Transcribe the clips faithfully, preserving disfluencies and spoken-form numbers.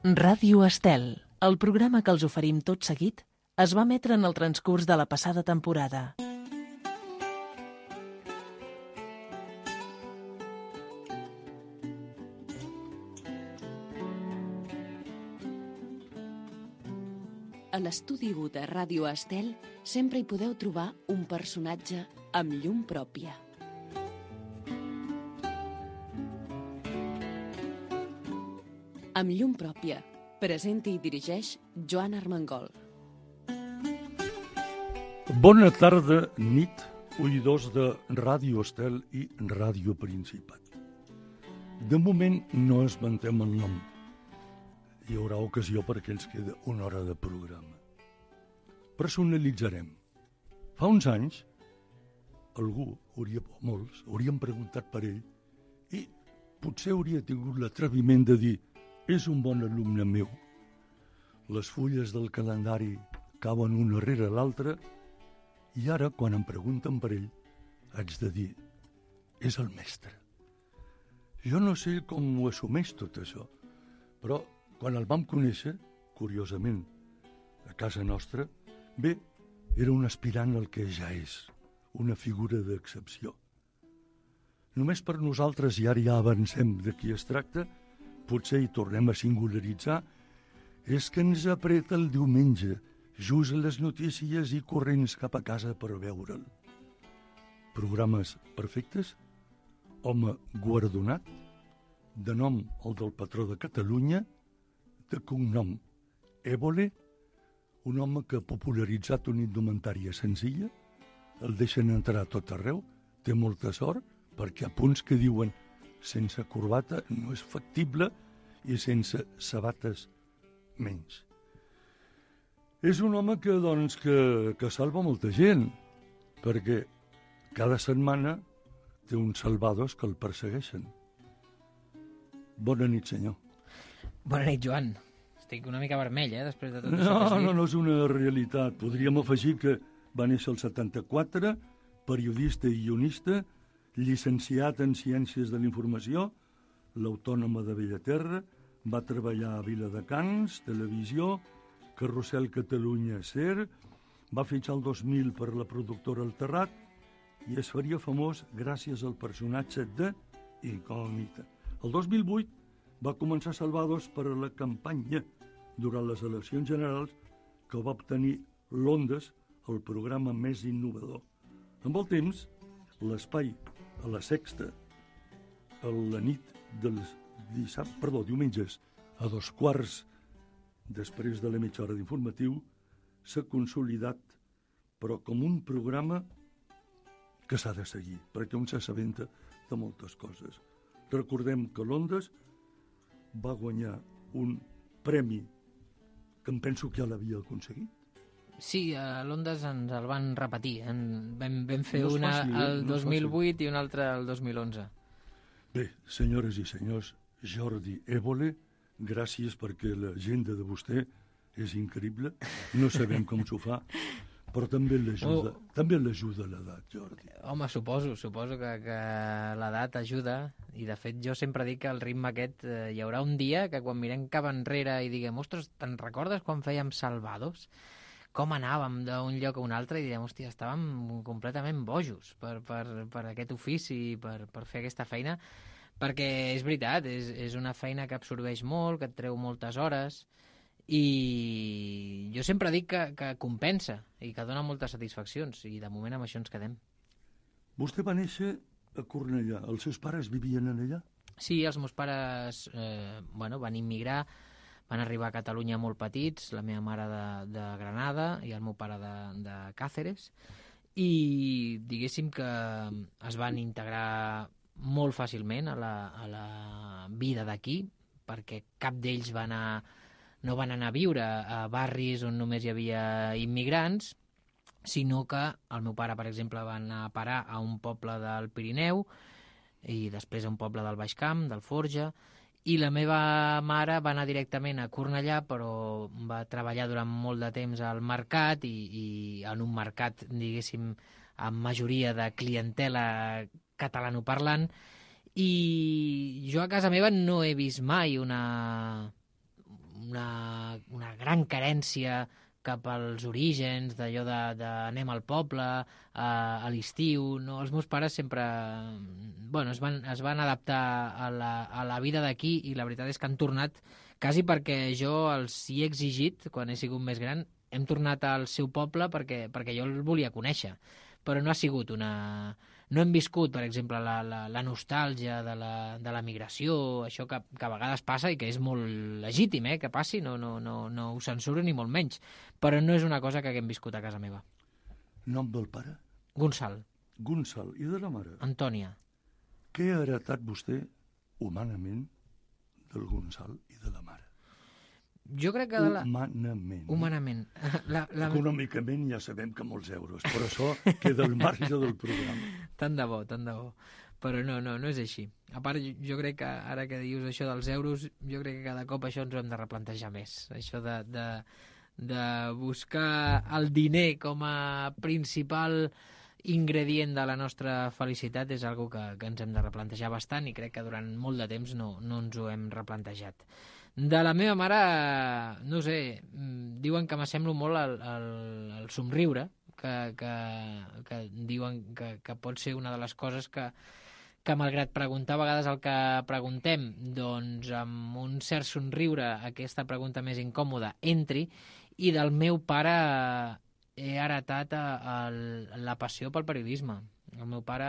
Ràdio Estel, el programa que els oferim tot seguit, es va emetre en el transcurs de la passada temporada. A l'estudi u de Ràdio Estel sempre hi podeu trobar un personatge amb llum pròpia. Amb llum pròpia, presenta i dirigeix Joan Armengol. Bona tarda, nit, oïdors de Ràdio Estel i Ràdio Principat. De moment no esmentem el nom. Hi haurà ocasió perquè ens queda una hora de programa. Personalitzarem. Fa uns anys, algú, hauria, molts, haurien preguntat per ell i potser hauria tingut l'atreviment de dir és un bon alumne meu. Les fulles del calendari cauen una rere l'altra i ara, quan em pregunten per ell, haig de dir és el mestre. Jo no sé com ho assumeix tot això, però quan el vam conèixer, curiosament, a casa nostra, bé, era un aspirant al que ja és, una figura d'excepció. Només per nosaltres, i ara ja avancem de qui es tracta, potser hi tornem a singularitzar, és que ens apreta el diumenge, just a les notícies i corrents cap a casa per veure'l. Programes perfectes, home guardonat, de nom el del patró de Catalunya, de cognom Évole, un home que ha popularitzat una indumentària senzilla, el deixen entrar a tot arreu, té molta sort, perquè a punts que diuen sense corbata no és factible i sense sabates menys. És un home que, doncs, que, que salva molta gent, perquè cada setmana té uns salvados que el persegueixen. Bona nit, senyor. Bona nit, Joan. Estic una mica vermell, eh, després de tot no, això que has dit. No, no és una realitat. Podríem afegir que va néixer el setanta-quatre, periodista i guionista, llicenciat en Ciències de la Informació, l'Autònoma de Bellaterra, va treballar a Viladecans, Televisió, Carrusel Catalunya, SER, va fitxar el dos mil per la productora El Terrat i es faria famós gràcies al personatge de Incògnita. El dos mil vuit va començar Salvados per a la campanya durant les eleccions generals que va obtenir l'Ondes, el programa més innovador. Amb el temps, l'espai a la Sexta, a la nit dels dissabtes, perdó, diumenges, a dos quarts després de la mitja hora d'informatiu, s'ha consolidat, però com un programa que s'ha de seguir, perquè un s'assabenta de moltes coses. Recordem que l'Ondes va guanyar un premi que em penso que ja l'havia aconseguit. Sí, a l'Ondes ens el van repetir. En, vam, vam fer no una fàcil, eh? el no dos mil vuit i una altra el dos mil onze. Bé, senyores i senyors, Jordi Évole, gràcies perquè l'agenda de vostè és increïble. No sabem com s'ho fa, però també l'ajuda oh. també l'ajuda l'edat, Jordi. Home, suposo, suposo que, que l'edat ajuda, i de fet jo sempre dic que el ritme aquest, eh, hi haurà un dia que quan mirem cap enrere i diguem, ostres, te'n recordes quan fèiem Salvados? Com anàvem d'un lloc a un altre i direm, hòstia, estàvem completament bojos per, per, per aquest ofici, per, per fer aquesta feina, perquè és veritat, és, és una feina que absorbeix molt, que et treu moltes hores, i jo sempre dic que, que compensa i que dona moltes satisfaccions, i de moment amb això ens quedem. Vostè va néixer a Cornellà. Els seus pares vivien allà? Sí, els meus pares eh, bueno, van immigrar, van arribar a Catalunya molt petits, la meva mare de, de Granada i el meu pare de, de Càceres, i diguéssim que es van integrar molt fàcilment a la, a la vida d'aquí, perquè cap d'ells va anar, no van anar a viure a barris on només hi havia immigrants, sinó que el meu pare, per exemple, va anar a parar a un poble del Pirineu i després a un poble del Baix Camp, del Forja, i la meva mare va anar directament a Cornellà, però va treballar durant molt de temps al mercat i, i en un mercat, diguéssim, amb majoria de clientela catalanoparlant, i jo a casa meva no he vist mai una, gran carència cap als orígens, d'allò de, de anem al poble, a, a l'estiu, no? Els meus pares sempre bueno, es, van, es van adaptar a la, a la vida d'aquí i la veritat és que han tornat, quasi perquè jo els hi he exigit, quan he sigut més gran, hem tornat al seu poble perquè, perquè jo el volia conèixer, però no ha sigut una... No hem viscut, per exemple, la, la, la nostàlgia de la, de la migració, això que, que a vegades passa i que és molt legítim, eh, que passi, no, no, no, no ho censuro ni molt menys, però no és una cosa que haguem viscut a casa meva. Nom del pare? Gonçal. Gonçal. I de la mare? Antònia. Què ha heretat vostè, humanament, del Gonçal i de la mare? Jo crec que... De la... Humanament. Humanament. La, la... Econòmicament ja sabem que molts euros, però això queda al marge del programa. Tant de bo, tant de bo. Però no, no, no és així. A part, jo crec que ara que dius això dels euros, jo crec que cada cop això ens ho hem de replantejar més. Això de, de, de buscar el diner com a principal ingredient de la nostra felicitat és algo que, que ens hem de replantejar bastant i crec que durant molt de temps no, no ens ho hem replantejat. De la meva mare, no sé, diuen que m'assemblo molt al, al, al somriure, que, que, que diuen que, que pot ser una de les coses que, que malgrat preguntar a vegades el que preguntem, doncs amb un cert somriure aquesta pregunta més incòmoda entri, i del meu pare he heretat a, a, la passió pel periodisme. El meu pare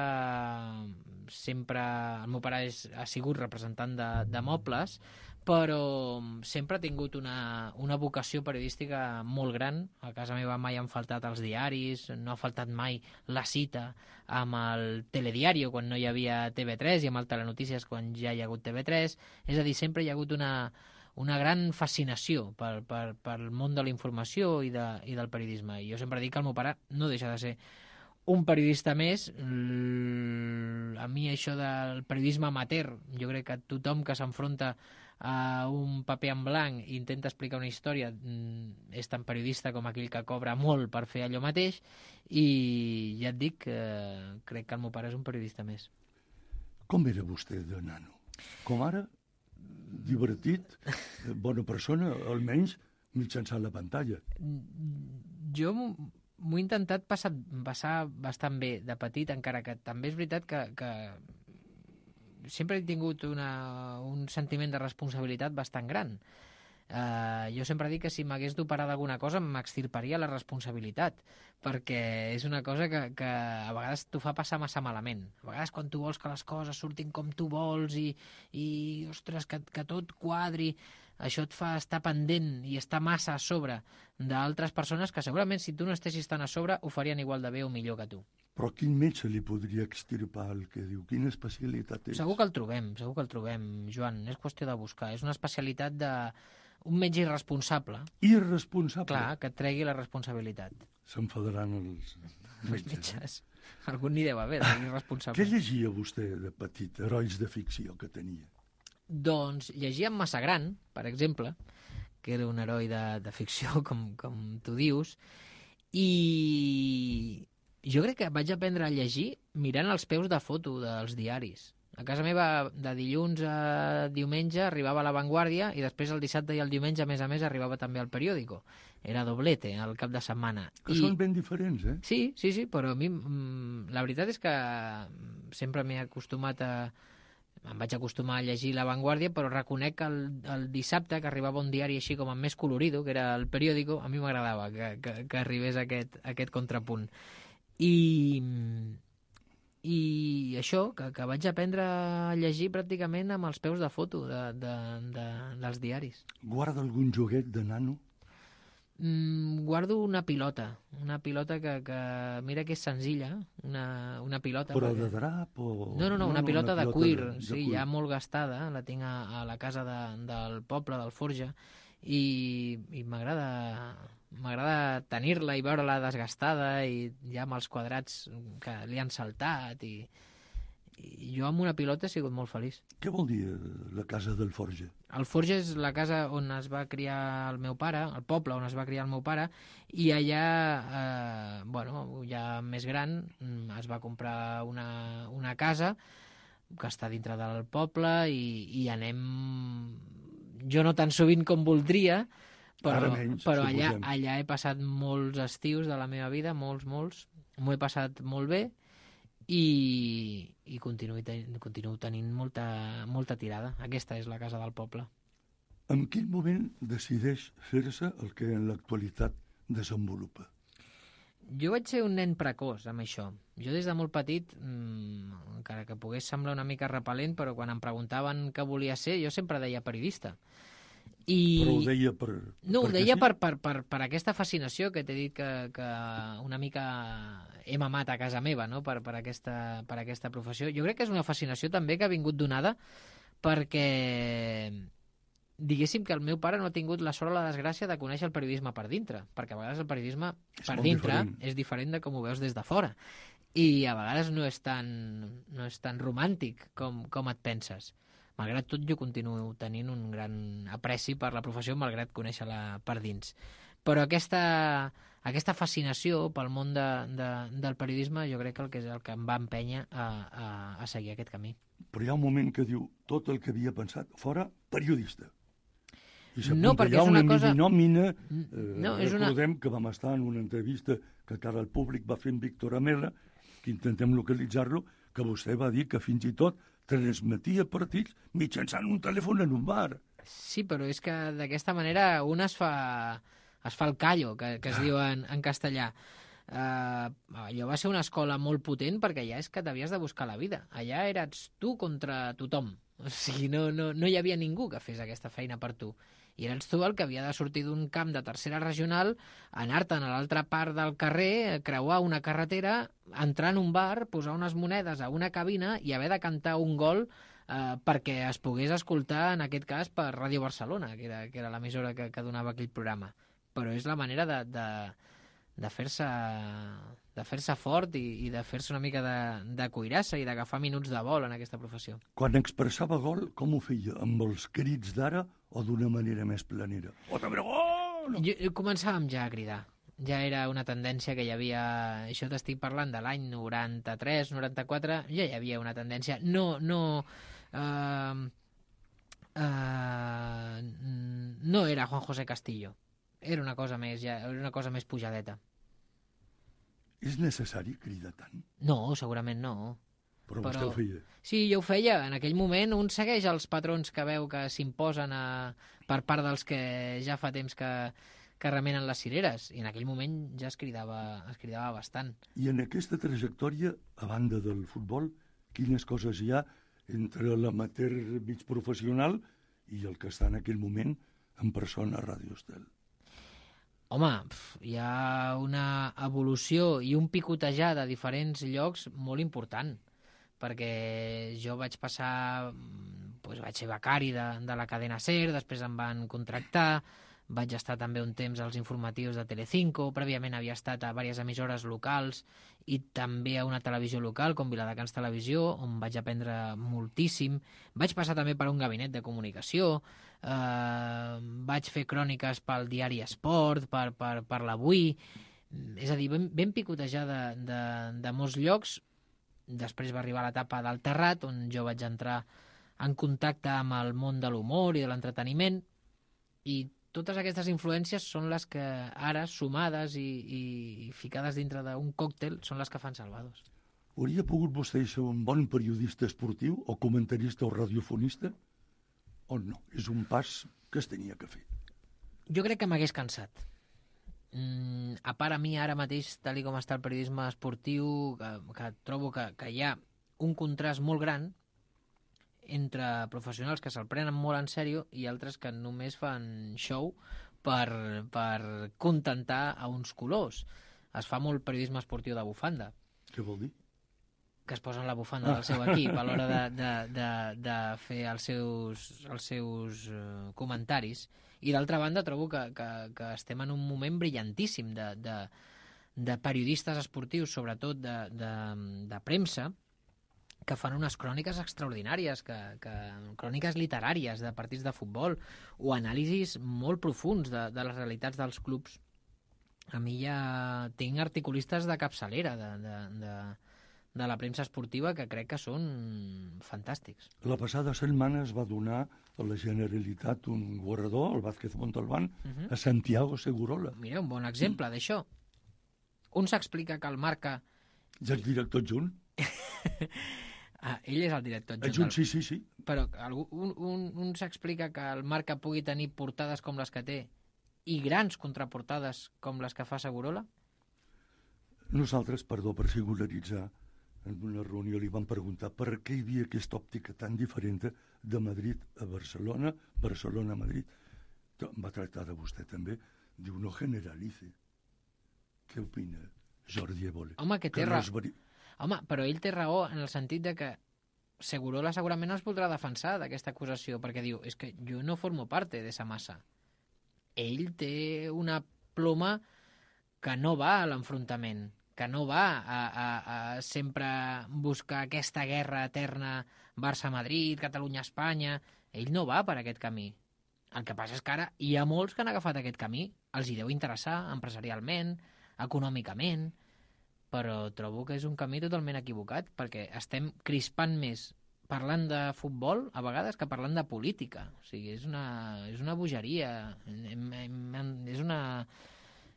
sempre... El meu pare és, ha sigut representant de, de mobles, però sempre ha tingut una, una vocació periodística molt gran. A casa meva mai han faltat els diaris, no ha faltat mai la cita amb el telediario quan no hi havia T V tres i amb el Telenotícies quan ja hi ha hagut T V tres. És a dir, sempre hi ha hagut una, una gran fascinació per, per, pel món de la informació i, de, i del periodisme. I jo sempre dic que el meu pare no deixa de ser un periodista més. A mi això del periodisme amateur, jo crec que tothom que s'enfronta a un paper en blanc i intenta explicar una història és tan periodista com aquell que cobra molt per fer allò mateix, i ja et dic que crec que el meu pare és un periodista més. Com era vostè de nano? Com ara? Divertit? Bona persona? Almenys mitjançant la pantalla. Jo m'ho he intentat passar, passar bastant bé de petit, encara que també és veritat que, que sempre he tingut una, un sentiment de responsabilitat bastant gran. Uh, jo sempre dic que si m'hagués d'operar d'alguna cosa m'extirparia la responsabilitat, perquè és una cosa que, que a vegades t'ho fa passar massa malament. A vegades quan tu vols que les coses surtin com tu vols i, i ostres, que, que tot quadri, això et fa estar pendent i estar massa a sobre d'altres persones que segurament si tu no estessis tan a sobre ho farien igual de bé o millor que tu. Però quin metge li podria extirpar el que diu? Quina especialitat és? Segur que el trobem, segur que el trobem, Joan. És qüestió de buscar. És una especialitat de un metge irresponsable. Irresponsable? Clar, que et tregui la responsabilitat. S'enfadaran els metges. Els metges. Algun n'hi deu haver, d'irresponsable. Què llegia vostè de petit, herois de ficció que tenia? Doncs llegia en Massagran, per exemple, que era un heroi de, de ficció, com, com tu dius, i jo crec que vaig aprendre a llegir mirant els peus de foto dels diaris. A casa meva, de dilluns a diumenge, arribava a La Vanguardia i després el dissabte i el diumenge, a més a més, arribava també al periòdico. Era doblete, al cap de setmana. Que I... són ben diferents, eh? Sí, sí, sí, però a mi la veritat és que sempre m'he acostumat a... Em vaig acostumar a llegir La Vanguardia, però reconec que el, el dissabte, que arribava un diari així com amb més colorido, que era el periòdico, a mi m'agradava que, que, que arribés aquest, aquest contrapunt. I... I això, que, que vaig aprendre a llegir pràcticament amb els peus de foto de, de, de, dels diaris. Guarda algun joguet de nano? Mm, guardo una pilota, una pilota que, que mira que és senzilla, una, una pilota. Però perquè... de drap o...? No, no, no, una, no, pilota, una pilota de cuir, de, de sí, cuir. Ja molt gastada, la tinc a, a la casa de, del poble, del Forja, i, i m'agrada... M'agrada tenir-la i veure-la desgastada i ja amb els quadrats que li han saltat i, i jo amb una pilota he sigut molt feliç. Què vol dir la casa del Forja? El Forja és la casa on es va criar el meu pare, el poble on es va criar el meu pare, i allà, eh, bueno, ja més gran, es va comprar una, una casa que està dintre del poble i, i anem, jo no tan sovint com voldria, Però, Ara menys, però allà, suposem. allà he passat molts estius de la meva vida, molts, molts. M'ho he passat molt bé i, i continuo, ten, continuo tenint molta, molta tirada. Aquesta és la casa del poble. En quin moment decideix fer-se el que en l'actualitat desenvolupa? Jo vaig ser un nen precoç amb això. Jo des de molt petit, mmm, encara que pogués semblar una mica repel·lent, però quan em preguntaven què volia ser, jo sempre deia periodista. I... Però ho deia per... No, ho deia sí? per, per, per, per aquesta fascinació que t'he dit que, que una mica he mamat a casa meva, no? per, per, aquesta, per aquesta professió. Jo crec que és una fascinació també que ha vingut donada perquè... diguéssim que el meu pare no ha tingut la sort o la desgràcia de conèixer el periodisme per dintre, perquè a vegades el periodisme És per molt dintre diferent. és diferent de com ho veus des de fora. I a vegades no és tan, no és tan romàntic com, com et penses. Malgrat tot, jo continuo tenint un gran apreci per la professió, malgrat conèixer-la per dins. Però aquesta, aquesta fascinació pel món de, de, del periodisme jo crec que el que és el que em va empènyer a, a, a seguir aquest camí. Però hi ha un moment que diu tot el que havia pensat fora periodista. I No, s'apunta perquè allà és una una cosa- minòmina. Mm, Eh, no, és una- recordem que vam estar en una entrevista que cara al públic va fer en Víctor Amela, que intentem localitzar-lo, que vostè va dir que fins i tot transmetia partits mitjançant un telèfon en un bar. Sí, però és que d'aquesta manera un es fa, es fa el callo, que, que es diu en, en castellà. Uh, allò va ser una escola molt potent perquè allà és que t'havies de buscar la vida. Allà eres tu contra tothom. O sigui, no, no, no hi havia ningú que fes aquesta feina per tu. I eres tu el que havia de sortir d'un camp de tercera regional, anar-te'n a l'altra part del carrer, creuar una carretera, entrar en un bar, posar unes monedes a una cabina i haver de cantar un gol eh, perquè es pogués escoltar, en aquest cas, per Ràdio Barcelona, que era, que era l'emissora que, que donava aquell programa. Però és la manera de, de, de fer-se de fer-se fort i, i de fer-se una mica de, de cuirassa i d'agafar minuts de vol en aquesta professió. Quan expressava gol, com ho feia? Amb els crits d'ara o d'una manera més planera? O de gol! Jo, jo començàvem ja a cridar. Ja era una tendència que hi havia... Això t'estic parlant de l'any noranta-tres, noranta-quatre, ja hi havia una tendència. No, no... Uh, uh, no era Juan José Castillo. Era una cosa més, ja, era una cosa més pujadeta. És necessari cridar tant? No, segurament no. Però, Però- vostè ho feia. Sí, jo ho feia. En aquell moment un segueix els patrons que veu que s'imposen a... per part dels que ja fa temps que, que remenen les cireres. I en aquell moment ja es cridava, es cridava bastant. I en aquesta trajectòria, a banda del futbol, quines coses hi ha entre l'amateur mig professional i el que està en aquell moment en persona a Ràdio Estel? Home, pf, hi ha una evolució i un picotejar de diferents llocs molt important, perquè jo vaig passar, doncs vaig ser becari de, de la cadena SER, després em van contractar, vaig estar també un temps als informatius de Telecinco, prèviament havia estat a diverses emissores locals i també a una televisió local com Viladecans Televisió, on vaig aprendre moltíssim. Vaig passar també per un gabinet de comunicació, eh, vaig fer cròniques pel diari Esport, per, per, per l'Avui, és a dir, ben, ben picotejar de, de, de molts llocs. Després va arribar l'etapa del Terrat, on jo vaig entrar en contacte amb el món de l'humor i de l'entreteniment, i totes aquestes influències són les que ara, sumades i, i, i ficades dintre d'un còctel, són les que fan Salvados. Hauria pogut vostè ser un bon periodista esportiu o comentarista o radiofonista? O no? És un pas que es tenia que fer. Jo crec que m'hagués cansat. Mm, a part, a mi ara mateix, tal com està el periodisme esportiu, que, que trobo que, que hi ha un contrast molt gran entre professionals que se'l prenen molt en sèrio i altres que només fan show per, per contentar a uns colors. Es fa molt periodisme esportiu de bufanda, Què vol dir? que es posen la bufanda del seu equip a l'hora de, de, de, de fer els seus, els seus uh, comentaris. I d'altra banda trobo que, que, que estem en un moment brillantíssim de, de, de periodistes esportius, sobretot de, de, de premsa, que fan unes cròniques extraordinàries, que, que, cròniques literàries de partits de futbol o anàlisis molt profuns de, de les realitats dels clubs. A mi ja tinc articulistes de capçalera de, de, de, de la premsa esportiva que crec que són fantàstics. La passada setmana es va donar a la Generalitat un guardó, el Vázquez Montalbán, uh-huh. a Santiago Segurola. Mira, un bon exemple d'això. Un s'explica que el Marca... Ja el director adjunt? ah, ell és el director adjunt. Adjunt, sí, sí, sí. Però algú, un, un, un s'explica que el Marca pugui tenir portades com les que té i grans contraportades com les que fa Segurola? Nosaltres, perdó per singularitzar, en una reunió li vam preguntar per què hi havia aquesta òptica tan diferent de Madrid a Barcelona, Barcelona a Madrid. Em va tractar de vostè també. Diu, no generalice. Què opina Jordi Évole? Home, que té que raó. No veri... Home, però ell té raó en el sentit de que Segurola segurament no es voldrà defensar d'aquesta acusació, perquè diu, és que jo no formo parte d'esa massa. Ell té una ploma que no va a l'enfrontament, que no va a, a, a sempre buscar aquesta guerra eterna Barça-Madrid, Catalunya-Espanya. Ell no va per aquest camí. El que passa és que ara hi ha molts que han agafat aquest camí. Els hi deu interessar empresarialment, econòmicament, però trobo que és un camí totalment equivocat, perquè estem crispant més parlant de futbol a vegades que parlant de política. O sigui, és una, és una bogeria, és una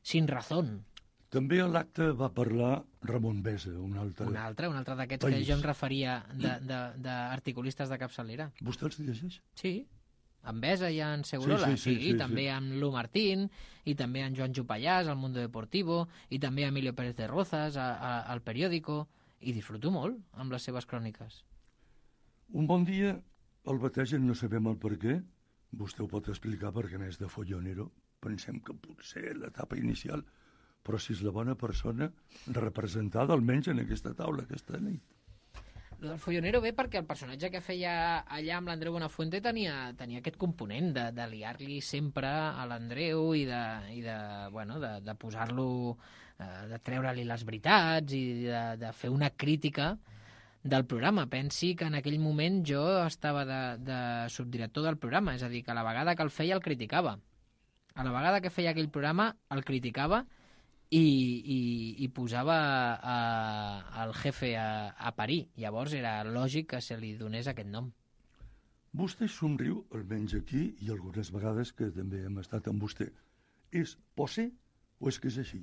sin razón. També a l'acte va parlar Ramon Besa, un altre... Un altre, un altre d'aquests que jo em referia d'articulistes de, de, de capçalera. Vostè els llegeix? Sí, en Besa i en Segurola, sí, sí, sí, sí, sí, i també sí. en Lu Martín, i també en Joan Jupallàs, al Mundo Deportivo, i també Emilio Pérez de Rozas, a, a, al Periódico, i disfruto molt amb les seves cròniques. Un bon dia el bategen, no sabem el per què, vostè ho pot explicar perquè a més de follonero, pensem que potser l'etapa inicial, però si és la bona persona representada almenys en aquesta taula aquesta nit. El follonero ve perquè el personatge que feia allà amb l'Andreu Buenafuente tenia, tenia aquest component de, de liar-li sempre a l'Andreu i de, i de, bueno, de, de posar-lo, eh, de treure-li les veritats i de, de fer una crítica del programa. Pensi que en aquell moment jo estava de, de subdirector del programa, és a dir, que a la vegada que el feia el criticava. A la vegada que feia aquell programa el criticava i, i, i posava a, el jefe a, a parir. Llavors era lògic que se li donés aquest nom. Vostè somriu, almenys aquí, i algunes vegades que també hem estat amb vostè. És posé o és que és així?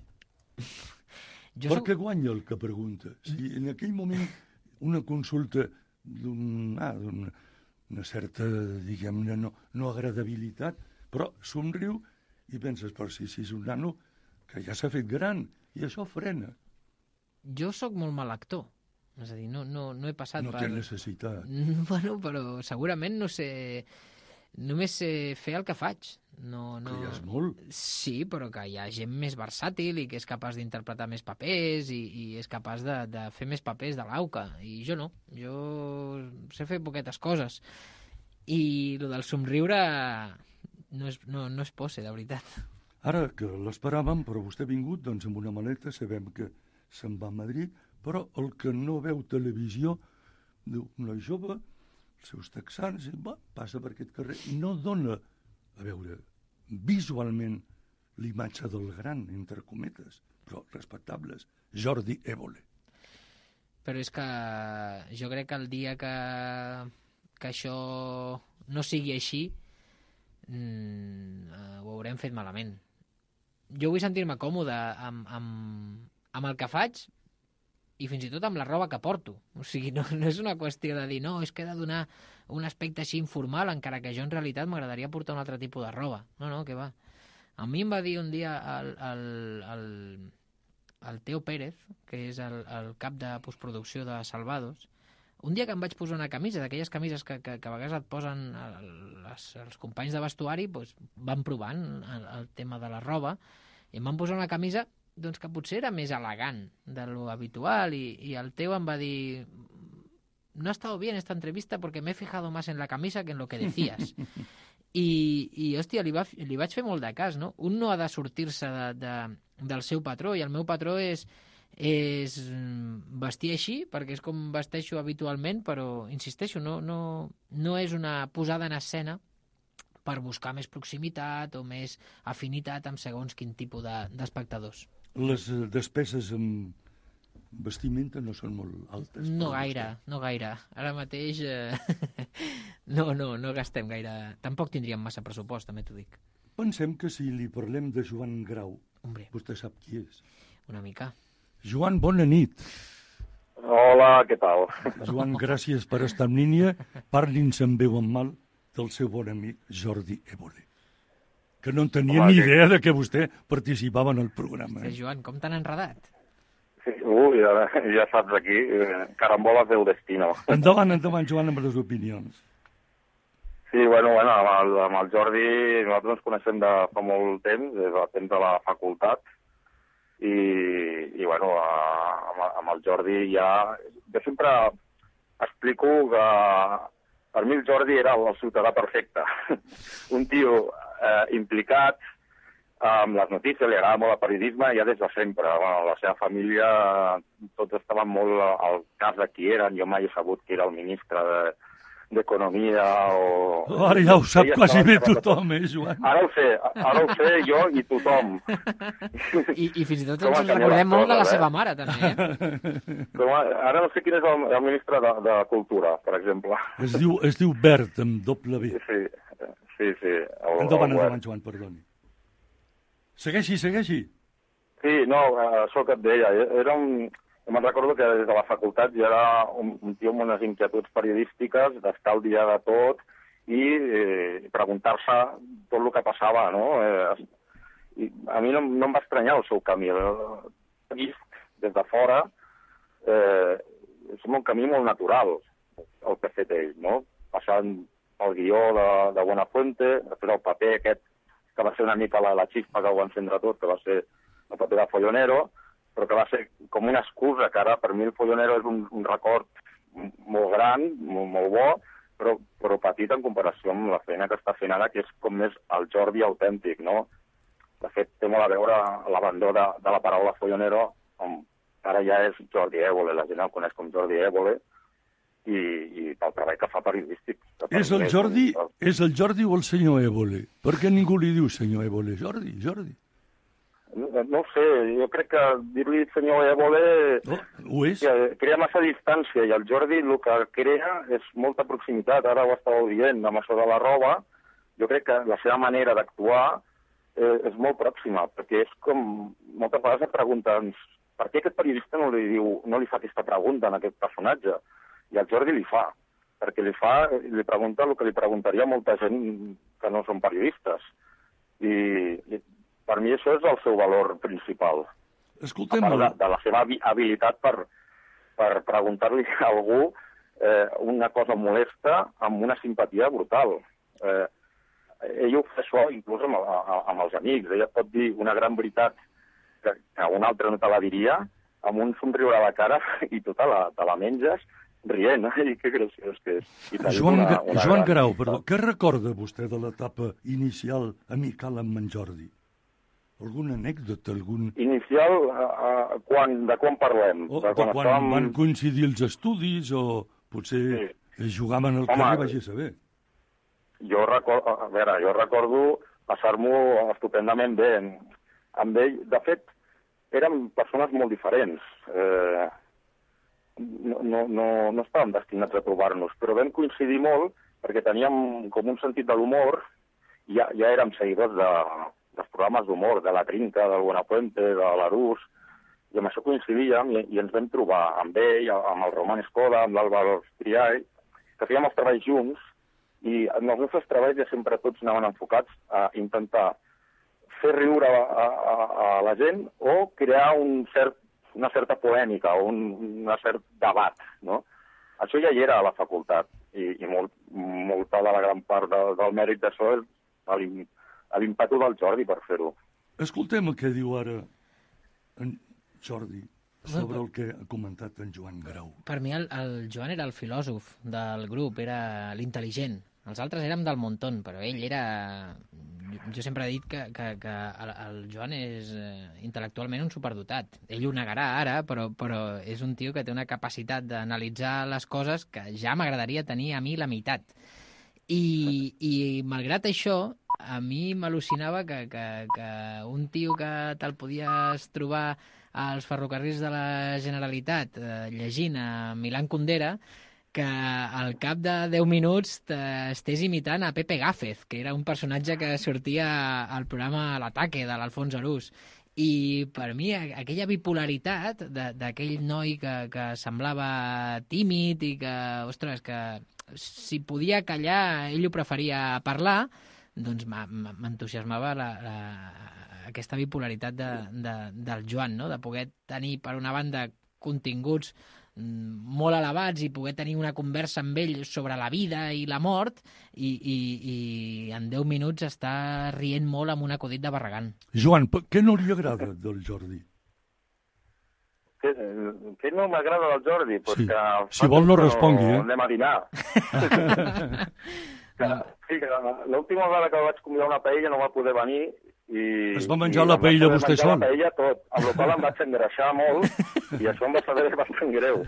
Jo per què soc... guanya el que pregunta? Si en aquell moment una consulta d'un, ah, d'una una certa, diguem-ne, no, no agradabilitat, però somriu i penses, per si, si és un nano que ja s'ha fet gran, i això frena. Jo sóc molt mal actor. És a dir, no, no, no he passat no per... No té necessitat. Bueno, però segurament no sé... Només sé fer el que faig. No, no... Que ja és molt. Sí, però que hi ha gent més versàtil i que és capaç d'interpretar més papers i, i és capaç de, de fer més papers de l'auca. I jo no. Jo sé fer poquetes coses. I el del somriure no és, no, no és posse, de veritat. Ara que l'esperàvem, però vostè ha vingut doncs, amb una maleta, sabem que se'n va a Madrid, però el que no veu televisió, diu, una jove, els seus texans, i va, passa per aquest carrer, i no dona, a veure, visualment l'imatge del gran, entre cometes, però respectables, Jordi Évole. Però és que jo crec que el dia que, que això no sigui així, mm, ho haurem fet malament. Jo vull sentir-me còmode amb, amb, amb el que faig i fins i tot amb la roba que porto. O sigui, no, no és una qüestió de dir no, és que he de donar un aspecte així informal, encara que jo en realitat m'agradaria portar un altre tipus de roba. No, no, què va. A mi em va dir un dia el, el, el, el Teo Pérez, que és el, el cap de postproducció de Salvados, un dia que em vaig posar una camisa, d'aquelles camises que, que, que a vegades et posen les, els companys de vestuari, doncs van provant el, el tema de la roba, i em van posar una camisa doncs, que potser era més elegant de lo habitual, i, i el Teo em va dir no ha estado bien esta entrevista porque me he fijado más en la camisa que en lo que decías. I, i hòstia, li, va, li vaig fer molt de cas, no? Un no ha de sortir-se de, de, del seu patró, i el meu patró és és vestir així, perquè és com vesteixo habitualment, però, insisteixo, no, no, no és una posada en escena per buscar més proximitat o més afinitat amb segons quin tipus de, d'espectadors. Les despeses amb, vestimenta no són molt altes. No gaire, no gaire. Ara mateix eh, no, no, no gastem gaire. Tampoc tindríem massa pressupost, també t'ho dic. Pensem que si li parlem de Joan Grau, Hombre. Vostè sap qui és. Una mica. Joan, bona nit. Hola, què tal? Joan, gràcies per estar en línia. Parli'ns en veu en mal del seu bon amic Jordi Évole, que no en tenia Home, ni que... idea de que vostè participava en el programa. Sí, Joan, com t'han enredat? Sí, uh, ja, ja saps aquí, eh, caramboles del destino. Endavant, endavant, Joan, amb les opinions. Sí, bueno, bueno amb, el, amb el Jordi nosaltres ens coneixem de fa molt temps, des del temps de la facultat, i, i bueno, amb, amb el Jordi ja... Jo sempre explico que per mi el Jordi era el ciutadà perfecte. Un tio eh, implicat amb les notícies, li agrada molt el periodisme ja des de sempre. Bueno, la seva família, tots estaven molt al cas de qui eren. Jo mai he sabut qui era el ministre de, d'Economia o... Ara ja ho sap quasi bé tothom, eh, Joan? Ara ho sé, ara ho sé jo i tothom. I, i fins i tot ens recordem molt de la seva mare, també, eh? Però ara no sé quin és el, el ministre de, de Cultura, per exemple. Es diu, es diu Bert, amb doble B. Sí, sí, sí. El, Endavant, el endavant, Joan, perdoni. Segueixi, segueixi. Sí, no, això que et deia, era un... Jo me'n recordo que des de la facultat ja era un, un tio amb unes inquietuds periodístiques, d'estar al dia de tot i eh, preguntar-se tot el que passava, no? Eh, i a mi no, no em va estranyar el seu camí. He vist des de fora, eh, és un camí molt natural el que ha fet ell, no? Passant el guió de, de Buenafuente, després el paper aquest, que va ser una mica la, la xispa que ho va encendre tot, que va ser el paper de Follonero, però que va ser com una excusa, que ara per mi el Follonero és un, un record molt gran, molt, molt bo, però, però petit en comparació amb la feina que està fent ara, que és com més el Jordi autèntic, no? De fet, té molt a veure l'abandó de, de la paraula Follonero, on ara ja és Jordi Évole, la gent el coneix com Jordi Évole, i, i pel treball que fa periodístic. Que És el Jordi, és el Jordi o el senyor Évole? Per què ningú li diu senyor Évole? Jordi, Jordi. No, no ho sé, jo crec que dir-li senyor Évole oh, ho és? Crea massa distància i el Jordi el que crea és molta proximitat. Ara ho estàveu dient amb això de la roba. Jo crec que la seva manera d'actuar eh, és molt pròxima, perquè és com... Moltes vegades et pregunten per què aquest periodista no li, diu, no li fa aquesta pregunta a aquest personatge? I el Jordi li fa, perquè li fa, li pregunta el que li preguntaria molta gent que no són periodistes. I... i per mi això és el seu valor principal. Escoltem... A part de, de la seva habilitat per, per preguntar-li a algú eh, una cosa molesta amb una simpatia brutal. Eh, ell ho fa això inclús amb, amb els amics. Ella pot dir una gran veritat que, que un altre no te la diria, amb un somriure a la cara i tu te la, te la menges rient. I que graciós que és. I Joan, una, una Joan gran... Grau, perdó, què recorda vostè de l'etapa inicial amical amb en Jordi? Alguna anècdota? Algun... Inicial, uh, quan, de quan parlem? O, de quan quan estàvem... van coincidir els estudis o potser sí. jugaven al Home, carrer, vagi a saber. Jo recordo, a veure, jo recordo passar-m'ho estupendament bé amb ell. De fet, érem persones molt diferents. Eh, no, no, no, no estàvem destinats a trobar-nos, però vam coincidir molt perquè teníem com un sentit de l'humor, ja, ja érem seguidors de... dels programes d'humor, de la Trinca, del Buenafuente, de l'Arús, i amb això coincidíem i, i ens vam trobar amb ell, amb el Roman Escoda, amb l'Àlvaro Triay, que fèiem els treballs junts, i en els nostres treballs ja sempre tots anaven enfocats a intentar fer riure a, a, a la gent o crear un cert, una certa polèmica o un una cert debat, no? Això ja hi era a la facultat, i, i molt, molta de la gran part de, del mèrit d'això és l'impetu del Jordi per fer-ho. Escoltem el que diu ara en Jordi sobre el que ha comentat en Joan Grau. Per mi el, el Joan era el filòsof del grup, era l'intel·ligent. Els altres érem del montón, però ell era... Jo sempre he dit que, que, que el, el Joan és eh, intel·lectualment un superdotat. Ell ho negarà ara, però, però és un tio que té una capacitat d'analitzar les coses que ja m'agradaria tenir a mi la meitat. I, i malgrat això, a mi m'al·lucinava que, que, que un tio que te'l podies trobar als ferrocarrils de la Generalitat eh, llegint a Milan Kundera, que al cap de deu minuts estés imitant a Pepe Gáfez, que era un personatge que sortia al programa L'Ataque de l'Alfons Arús. I per mi aquella bipolaritat d'aquell noi que, que semblava tímid i que, ostres, que si podia callar ell ho preferia parlar, doncs m'entusiasmava la, la, aquesta bipolaritat de, de, del Joan, no? De poder tenir, per una banda, continguts molt elevats i poder tenir una conversa amb ell sobre la vida i la mort i, i, i en deu minuts està rient molt amb un acudit de Barragán. Joan, què no li agrada del Jordi? Què, què no m'agrada del Jordi? Pues sí. que si vol no respongui, eh? Anem a dinar. que, sí, que l'última vegada que vaig convidar una paella no va poder venir i... Es va menjar la paella vostè sol? La paella tot, amb la qual em vaig engreixar molt i això em va saber bastant greu.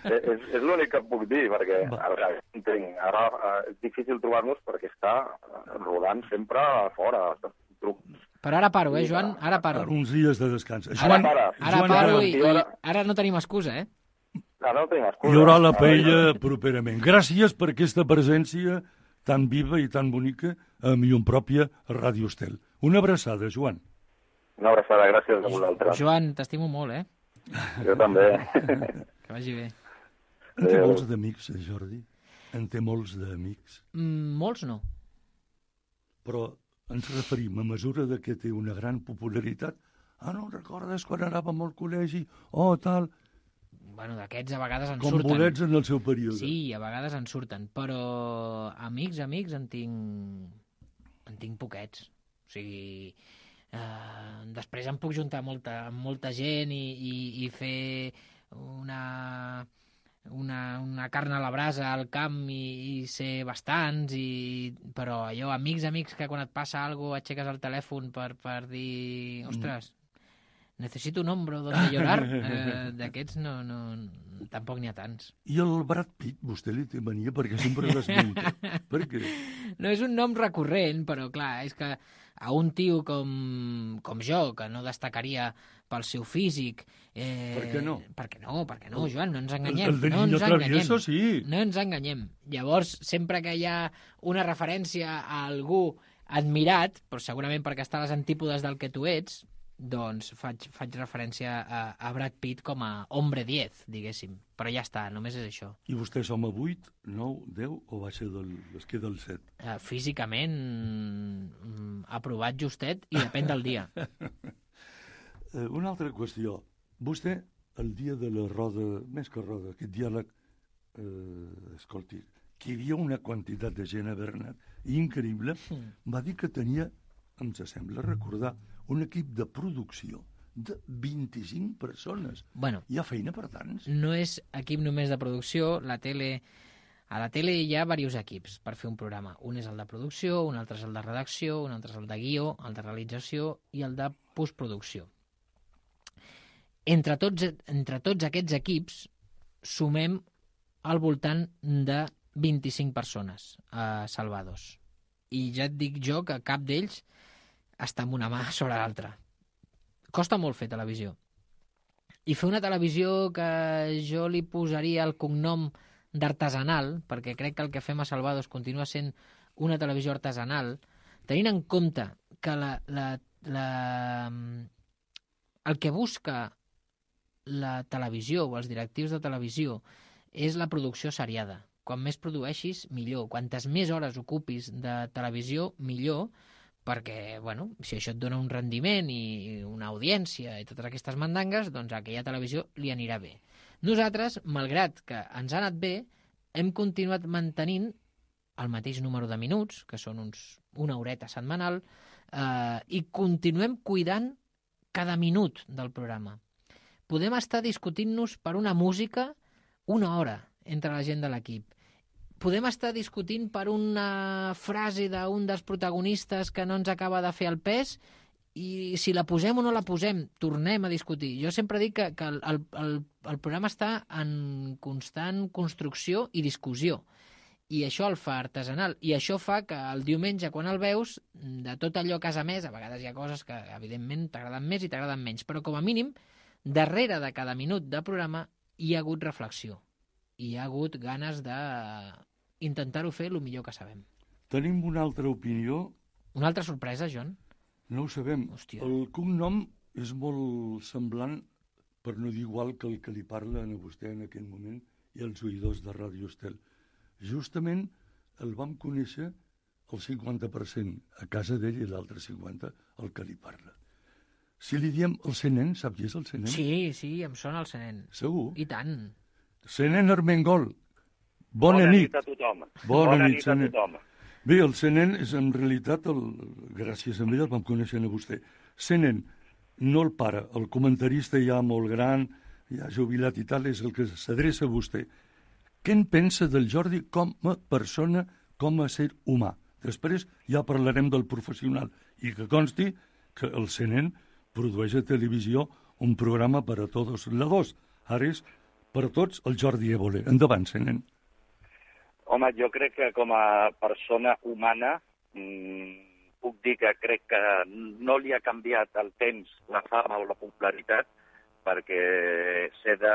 és és l'únic que et puc dir, perquè ara, entenc, ara és difícil trobar-nos perquè està rodant sempre fora. Però ara paro, eh, Joan? Ara paro. Uns dies de descans. Joan, ara, ara Joan, paro i, i ara no tenim excusa, eh? Ara no tenim excusa. Hi haurà la paella properament. Gràcies per aquesta presència tan viva i tan bonica a Llum Pròpia a Ràdio Estel. Una abraçada, Joan. Una abraçada, gràcies a vosaltres. Joan, t'estimo molt, eh? Jo també. Que vagi bé. En té molts d'amics, Jordi? En té molts d'amics? Mm, molts no. Però ens referim a mesura de que té una gran popularitat. Ah, no, recordes quan anàvem al col·legi? Oh, tal... Bueno, d'aquests a vegades en Com surten. Com bolets en el seu període. Sí, a vegades en surten, però amics, amics, en tinc... en tinc poquets. O sigui, eh, després em puc juntar molta, amb molta gent i, i, i fer una, una, una carn a la brasa al camp i, i ser bastants, i, però allò, amics, amics, que quan et passa alguna cosa aixeques el telèfon per, per dir, ostres, necessito un hombro donde llorar, eh, d'aquests no, no, tampoc n'hi ha tants. I el Brad Pitt, vostè li té mania perquè sempre l'esmenta. Per què? No és un nom recurrent, però clar, és que a un tio com, com jo, que no destacaria pel seu físic... Eh, per què no? Per què no, per què no, Joan? No ens enganyem. El, el de no ens enganyem. Sí. No ens enganyem. Llavors, sempre que hi ha una referència a algú admirat, però segurament perquè està a les antípodes del que tu ets, doncs faig, faig referència a, a Brad Pitt com a hombre diez, diguéssim. Però ja està, només és això. I vostè és home vuit, nou, deu o va ser del, es queda el set? Uh, físicament, mm, aprovat justet i depèn del dia. uh, una altra qüestió. Vostè, el dia de la roda, més que roda, aquest diàleg, uh, escolti, que hi havia una quantitat de gent a Bernat increïble, mm. va dir que tenia, em sembla recordar, un equip de producció de vint-i-cinc persones. Bueno, hi ha feina per tants? No és equip només de producció. La tele... A la tele hi ha diversos equips per fer un programa. Un és el de producció, un altre és el de redacció, un altre és el de guió, el de realització i el de postproducció. Entre tots, entre tots aquests equips sumem al voltant de vint-i-cinc persones a Salvados. I ja et dic jo que cap d'ells està amb una mà sobre l'altra. Costa molt fer televisió. I fer una televisió que jo li posaria el cognom d'artesanal, perquè crec que el que fem a Salvados continua sent una televisió artesanal, tenint en compte que la, la, la, el que busca la televisió o els directius de televisió és la producció seriada. Quan més produeixis, millor. Quantes més hores ocupis de televisió, millor, perquè, bueno, si això et dona un rendiment i una audiència i totes aquestes mandangues, doncs a aquella televisió li anirà bé. Nosaltres, malgrat que ens ha anat bé, hem continuat mantenint el mateix número de minuts, que són uns una horeta setmanal, eh, i continuem cuidant cada minut del programa. Podem estar discutint-nos per una música una hora entre la gent de l'equip. Podem estar discutint per una frase d'un dels protagonistes que no ens acaba de fer el pes i si la posem o no la posem, tornem a discutir. Jo sempre dic que, que el, el, el programa està en constant construcció i discussió. i això el fa artesanal, i això fa que el diumenge, quan el veus, de tot allò que has emès, a vegades hi ha coses que, evidentment, t'agraden més i t'agraden menys, però com a mínim, darrere de cada minut de programa hi ha hagut reflexió, hi ha hagut ganes d'intentar-ho fer el millor que sabem. Tenim una altra opinió. Una altra sorpresa, John? No ho sabem. Hòstia. El cognom és molt semblant, per no dir igual, que el que li parla a vostè en aquest moment i als oïdors de Ràdio Estel. Justament el vam conèixer el cinquanta per cent a casa d'ell i l'altre cinquanta per cent el que li parla. Si li diem el Senén, sap qui és el Senén? Sí, sí, em sona el Senén. Segur? I tant. Senén Armengol. Bona, Bona nit. nit a tothom. Bona, Bona nit, nit a Senén. tothom. Bé, el Senén és en realitat, el, gràcies a ell el vam conèixer a vostè. Senén, no el pare, el comentarista ja molt gran, ja jubilat i tal, és el que s'adreça a vostè. Què en pensa del Jordi com a persona, com a ser humà? Després ja parlarem del professional. I que consti que el Senén produeix a televisió un programa per a tots lados. Ara és per a tots el Jordi Évole. Endavant, Senén. Home, jo crec que com a persona humana mmm, puc dir que crec que no li ha canviat el temps, la fama o la popularitat, perquè sé de,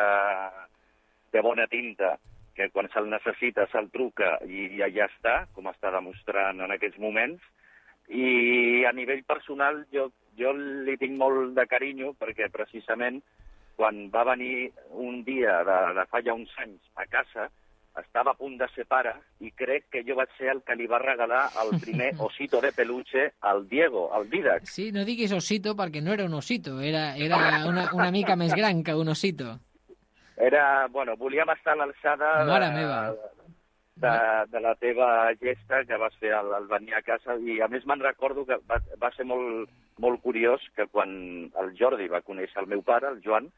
de bona tinta que quan se'l necessita se'l truca i ja, ja està, com està demostrant en aquests moments. I a nivell personal jo, jo li tinc molt de carinyo perquè precisament quan va venir un dia de, de fa ja uns anys a casa estava a punt de ser pare i crec que jo vaig ser el que li va regalar el primer osito de peluche al Diego, al Didac. Sí, no diguis osito perquè no era un osito, era, era una, una mica més gran que un osito. Era, bueno, volíem estar a l'alçada Mare meva. de, de la teva gesta que vas fer al, al venir a casa i a més me'n recordo que va, va ser molt, molt curiós que quan el Jordi va conèixer el meu pare, el Joan,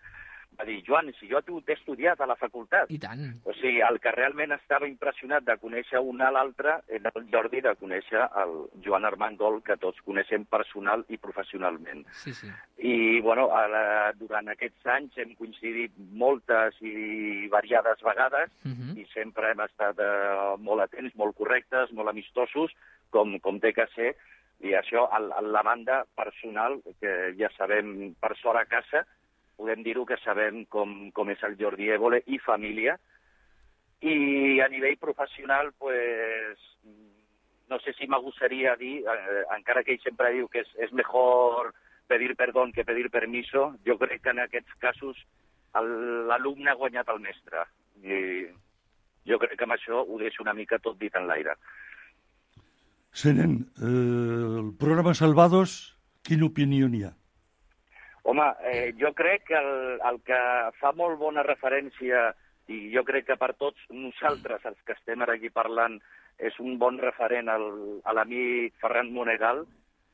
va dir, Joan, si jo t'he estudiat a la facultat. I tant. O sigui, el que realment estava impressionat de conèixer un a l'altre era el Jordi de conèixer el Joan Armengol, que tots coneixem personal i professionalment. Sí, sí. I, bueno, ara, durant aquests anys hem coincidit moltes i variades vegades Uh -huh. i sempre hem estat eh, molt atents, molt correctes, molt amistosos, com, com té que ser. I això, a, a la banda personal, que ja sabem per sort a casa, podem dir-ho que sabem com, com és el Jordi Évole i família. I a nivell professional, pues, no sé si m'agosaria dir, eh, encara que ell sempre diu que és, és mejor pedir perdó que pedir permiso, jo crec que en aquests casos l'alumne ha guanyat el mestre. I jo crec que amb això ho deixo una mica tot dit en l'aire. Senén, eh, el programa Salvados, quina opinió n'hi ha? Home, eh, jo crec que el, el que fa molt bona referència, i jo crec que per tots nosaltres, els que estem ara aquí parlant, és un bon referent al, a l'amic Ferran Monegal,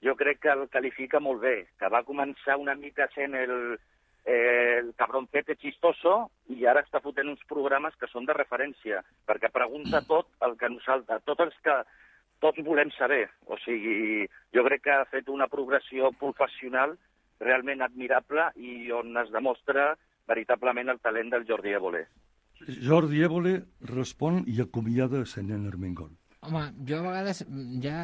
jo crec que el qualifica molt bé, que va començar una mica sent el, eh, el cabroncete chistoso i ara està fotent uns programes que són de referència, perquè pregunta tot el que nosaltres, tots els que tots volem saber. O sigui, jo crec que ha fet una progressió professional realment admirable i on es demostra veritablement el talent del Jordi Évole. Jordi Évole respon i acomiada Senén Armengol. Home, jo a vegades, ja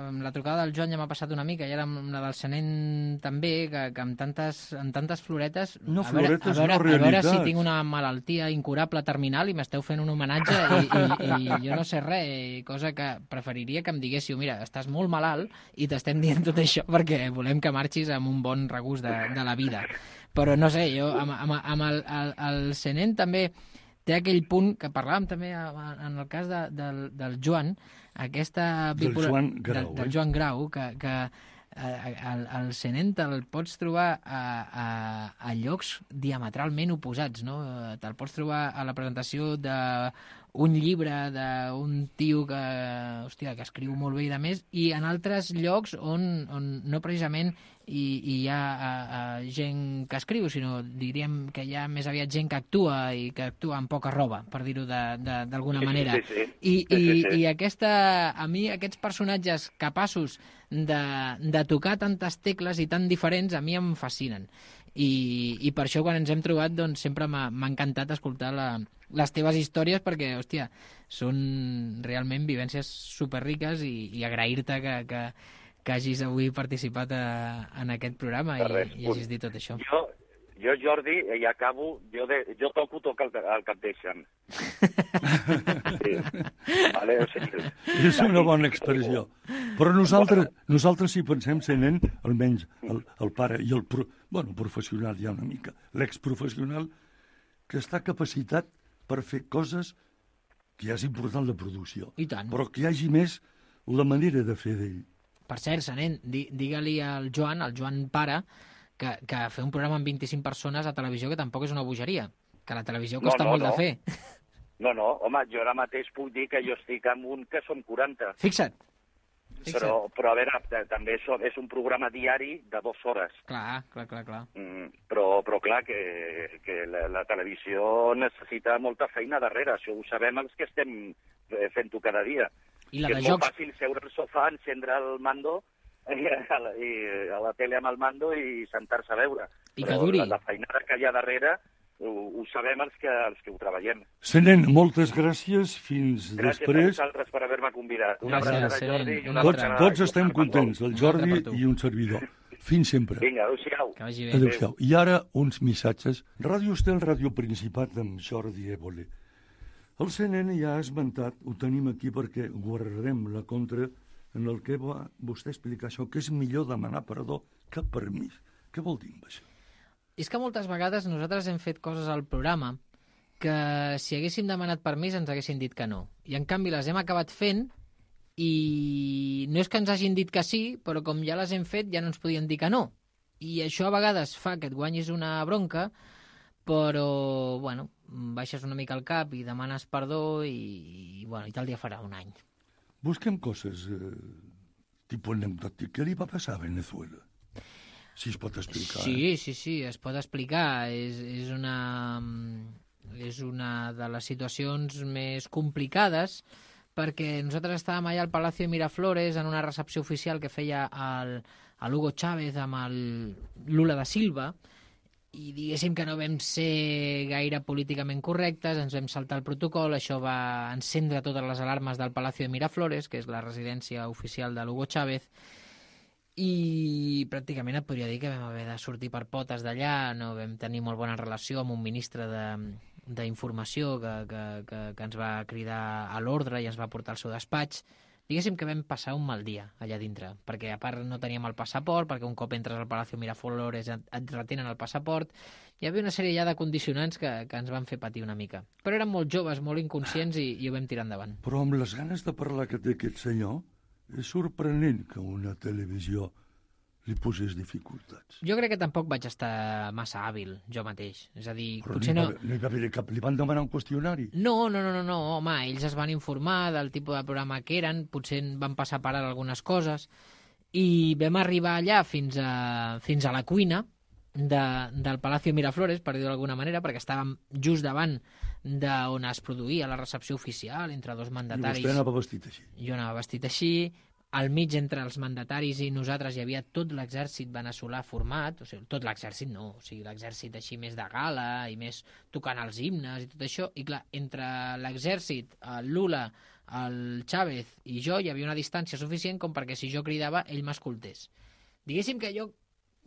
amb la trucada del Joan ja m'ha passat una mica, i ara amb la del Senén també, que, que amb, tantes, amb tantes floretes... No, a veure, floretes, a veure, no realitats. A veure si tinc una malaltia incurable terminal i m'esteu fent un homenatge i, i, i jo no sé res, cosa que preferiria que em diguéssiu, mira, estàs molt malalt i t'estem dient tot això perquè volem que marxis amb un bon regust de, de la vida. Però no sé, jo amb, amb, amb el, el, el Senén també té aquell punt que parlàvem també en el cas de, del, del Joan, aquesta del bipolar... Joan Grau, del, del eh? Joan Grau, que, que eh, el, el Senén te'l pots trobar a, a, a llocs diametralment oposats, no? Te'l pots trobar a la presentació d'un llibre d'un tio que, hòstia, que escriu molt bé i de més, i en altres llocs on, on no precisament i, i hi ha a, a gent que escriu, sinó diríem que hi ha més aviat gent que actua i que actua amb poca roba, per dir-ho d'alguna Sí, manera. sí, sí. I, Sí, sí, i, sí. i aquesta, a mi aquests personatges capaços de, de tocar tantes tecles i tan diferents a mi em fascinen. I, i per això quan ens hem trobat doncs, sempre m'ha m'ha encantat escoltar la, les teves històries perquè, hòstia, són realment vivències superriques i, i agrair-te que, que, que hagis avui participat a, en aquest programa i, Res, i hagis dit tot això. Jo, jo Jordi, i acabo, jo, de, jo toco, toca el, el que et deixen. Sí. Vale, o sigui, És una bona expressió. Però nosaltres, nosaltres si pensem ser nen, almenys el, el pare i el pro, bueno, professional ja una mica, l'exprofessional, que està capacitat per fer coses que ja és important la producció. I tant. Però que hi hagi més la manera de fer d'ell. Per cert, Senén, di, digue-li al Joan, al Joan pare, que, que fer un programa amb vint-i-cinc persones a televisió que tampoc és una bogeria, que la televisió costa No, no, molt no. de fer. no, no, home, jo ara mateix puc dir que jo estic amb un que són quaranta. Fixa't. Fixa't. Però, però a veure, t- també és, és un programa diari de dues hores. Clar, clar, clar, clar. Mm, però, però clar, que, que la, la televisió necessita molta feina darrere. Això ho sabem els que estem eh, fent-ho cada dia. I la que de és molt jocs... fàcil seure al sofà, encendre el mando, i a, la, i a la tele amb el mando i sentar-se a veure. I que Però duri. la, la feinada que hi ha darrere ho, ho sabem els que, els que ho treballem. Senén, moltes gràcies. Fins Gràcies a després. vosaltres per haver-me convidat. Una Gràcies, abraçada, Seren. Jordi, i Una una Tots, altra. abraçada tots a estem Joan contents, el Una altra Jordi per tu. i un servidor. Fins sempre. Vinga, adéu-siau. Que vagi bé. Adéu-siau. I ara uns missatges. Ràdio Estel, Ràdio Principat amb Jordi Évole. El Senén ja ha esmentat, ho tenim aquí perquè guardarem la contra en el que va vostè explicar això, que és millor demanar perdó que permís. Què vol dir amb això? És que moltes vegades nosaltres hem fet coses al programa que si haguéssim demanat permís ens haguessin dit que no. I en canvi les hem acabat fent i no és que ens hagin dit que sí, però com ja les hem fet ja no ens podien dir que no. I això a vegades fa que et guanyis una bronca, però, bueno, baixes una mica el cap i demanes perdó i, i, bueno, i tal dia farà un any. Busquem coses eh, tipus anecdòtic. Què li va passar a Venezuela? Si es pot explicar. Sí, sí, sí, es pot explicar. És, és, una, és una de les situacions més complicades perquè nosaltres estàvem allà al Palacio de Miraflores en una recepció oficial que feia el, el Hugo Chávez amb el Lula da Silva i diguéssim que no vam ser gaire políticament correctes, ens vam saltar el protocol, això va encendre totes les alarmes del Palacio de Miraflores, que és la residència oficial de l'Hugo Chávez, i pràcticament et podria dir que vam haver de sortir per potes d'allà, no vam tenir molt bona relació amb un ministre de, d'informació que, que, que, que ens va cridar a l'ordre i ens va portar al seu despatx. Diguéssim que vam passar un mal dia allà dintre, perquè a part no teníem el passaport, perquè un cop entres al Palacio Miraflores et, et retenen el passaport, hi havia una sèrie ja de condicionants que, que ens van fer patir una mica. Però érem molt joves, molt inconscients i, i ho vam tirar endavant. Però amb les ganes de parlar que té aquest senyor, és sorprenent que una televisió li posés dificultats. Jo crec que tampoc vaig estar massa hàbil, jo mateix. És a dir, Però potser no, no... hi va, no hi va haver cap... Li van demanar un qüestionari? No, no, no, no, no, home, ells es van informar del tipus de programa que eren, potser en van passar per ara algunes coses, i vam arribar allà fins a, fins a la cuina de, del Palacio Miraflores, per dir-ho d'alguna manera, perquè estàvem just davant d'on es produïa la recepció oficial entre dos mandataris. I vostè anava vestit així? Jo anava vestit així, al mig entre els mandataris i nosaltres hi havia tot l'exèrcit veneçolà format, o sigui, tot l'exèrcit no, o sigui, l'exèrcit així més de gala i més tocant els himnes i tot això, i clar, entre l'exèrcit, el Lula, el Chávez i jo hi havia una distància suficient com perquè si jo cridava ell m'escoltés. Diguéssim que jo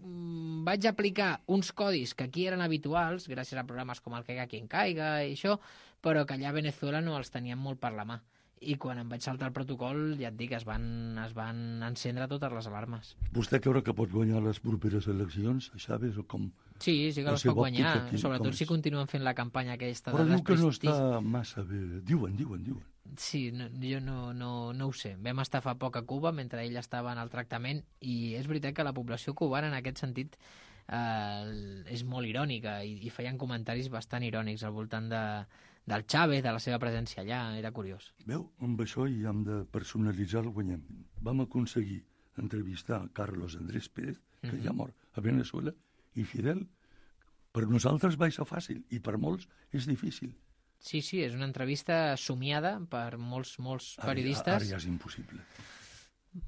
mmm, vaig aplicar uns codis que aquí eren habituals, gràcies a programes com el Caiga quien caiga i això, però que allà a Venezuela no els teníem molt per la mà. I quan em vaig saltar el protocol, ja et dic, es van, es van encendre totes les alarmes. Vostè creu que pot guanyar les properes eleccions, Chávez, o com? Sí, sí que La les seva pot guanyar, òptica, quin- sobretot com si és? continuen fent la campanya aquesta Però de diu que no desprestigi. està massa bé. Diuen, diuen, diuen. Sí, no, jo no, no, no ho sé. Vam estar fa poc a Cuba mentre ell estava en el tractament i és veritat que la població cubana en aquest sentit eh, és molt irònica i, i feien comentaris bastant irònics al voltant de, del Chávez, de la seva presència allà, era curiós. Veu, amb això hi hem de personalitzar el guanyem. Vam aconseguir entrevistar Carlos Andrés Pérez, que Mhm. ja mor a Venezuela, i Fidel. Per nosaltres va ser fàcil, i per molts és difícil. Sí, sí, és una entrevista somiada per molts, molts Ara, periodistes. ara ja és impossible,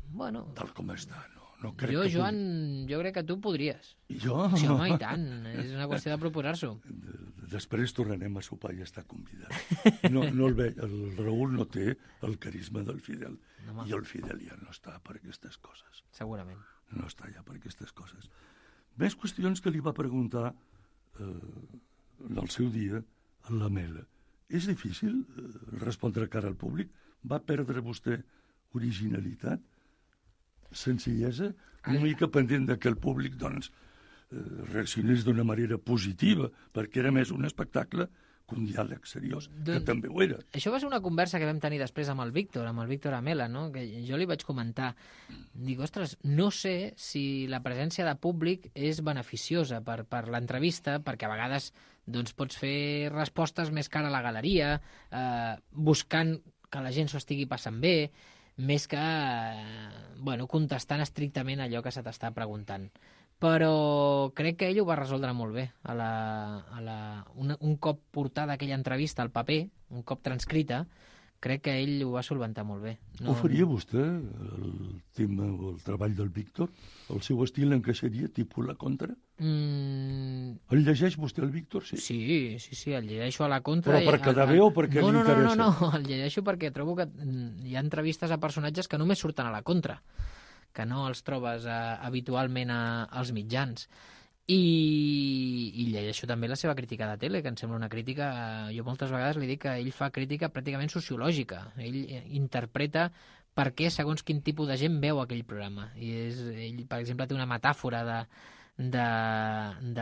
Bueno, tal com està. No, no crec jo, que Joan, jo crec que tu podries. pugui. I jo? Sí, home, i tant. És una qüestió de proposar-s'ho. De, després tornarem a sopar i està convidat. No, no el, ve, el Raül no té el carisma del Fidel. No, i el Fidel ja no està per aquestes coses. Segurament. No està ja per aquestes coses. Més qüestions que li va preguntar eh, en el seu dia a la Mela. És difícil eh, respondre cara al públic? Va perdre vostè originalitat? Senzillesa? Una mica pendent de que el públic, doncs, reaccionés d'una manera positiva, perquè era més un espectacle que un diàleg seriós, que doncs, també ho era. Això va ser una conversa que vam tenir després amb el Víctor, amb el Víctor Amela, no? Que jo li vaig comentar, dic, ostres, no sé si la presència de públic és beneficiosa per, per l'entrevista, perquè a vegades doncs, pots fer respostes més cara a la galeria, eh, buscant que la gent s'ho estigui passant bé, més que eh, bueno, contestant estrictament allò que se t'està preguntant. Però crec que ell ho va resoldre molt bé. A la, a la, un, un cop portada aquella entrevista al paper, un cop transcrita, crec que ell ho va solventar molt bé. No... Ho faria vostè, el tema o el treball del Víctor? El seu estil encaixaria tipus la contra? Mm... El llegeix vostè, el Víctor? Sí, sí, sí, sí el llegeixo a la contra. Però per quedar bé o perquè no, li no, interessa? No, no, no, el llegeixo perquè trobo que hi ha entrevistes a personatges que només surten a la contra, que no els trobes eh, habitualment a, als mitjans. I, i llegeixo també la seva crítica de tele, que em sembla una crítica... Eh, jo moltes vegades li dic que ell fa crítica pràcticament sociològica. Ell eh, interpreta per què segons quin tipus de gent veu aquell programa. I és, ell, per exemple, té una metàfora de, de,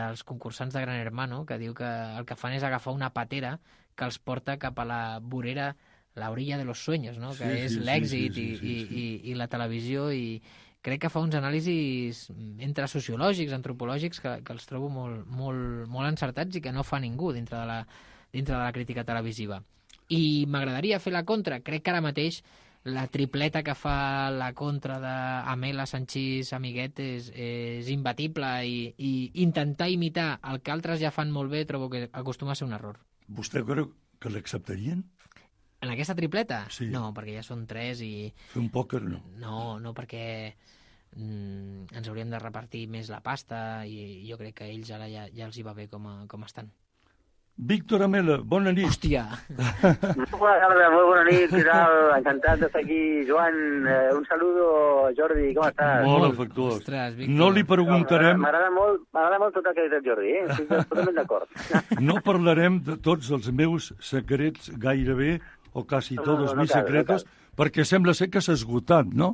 dels concursants de Gran Hermano, que diu que el que fan és agafar una patera que els porta cap a la vorera, la orilla de los sueños, no? Que sí, és sí, l'èxit sí, sí, sí, i, sí, sí. I, i, i la televisió, i crec que fa uns anàlisis entre sociològics, antropològics, que, que els trobo molt, molt, molt encertats i que no fa ningú dintre de la, dintre de la crítica televisiva. I m'agradaria fer la contra. Crec que ara mateix la tripleta que fa la contra d'Amela, Sanchís, Amiguet és, és imbatible, i, i intentar imitar el que altres ja fan molt bé trobo que acostuma a ser un error. Vostè creu que l'acceptarien? En aquesta tripleta? Sí. No, perquè ja són tres i... Fer un pòquer, no? No, no, perquè mm, ens hauríem de repartir més la pasta i jo crec que ells ara ja, ja els hi va bé com, a, com estan. Víctor Amela, bona nit. Hòstia! Bona tarda, molt bona nit, què tal? Encantat d'estar aquí, Joan. Eh, un saludo, Jordi, com estàs? Molt afectuós. Ostres, Víctor. No li preguntarem... No, M'agrada molt, m'agrada molt tot el que ha dit el Jordi, eh? Estic totalment d'acord. No parlarem de tots els meus secrets gairebé, o quasi no, tots no, no mis cal, secretos, no perquè sembla ser que s'ha esgotat, no?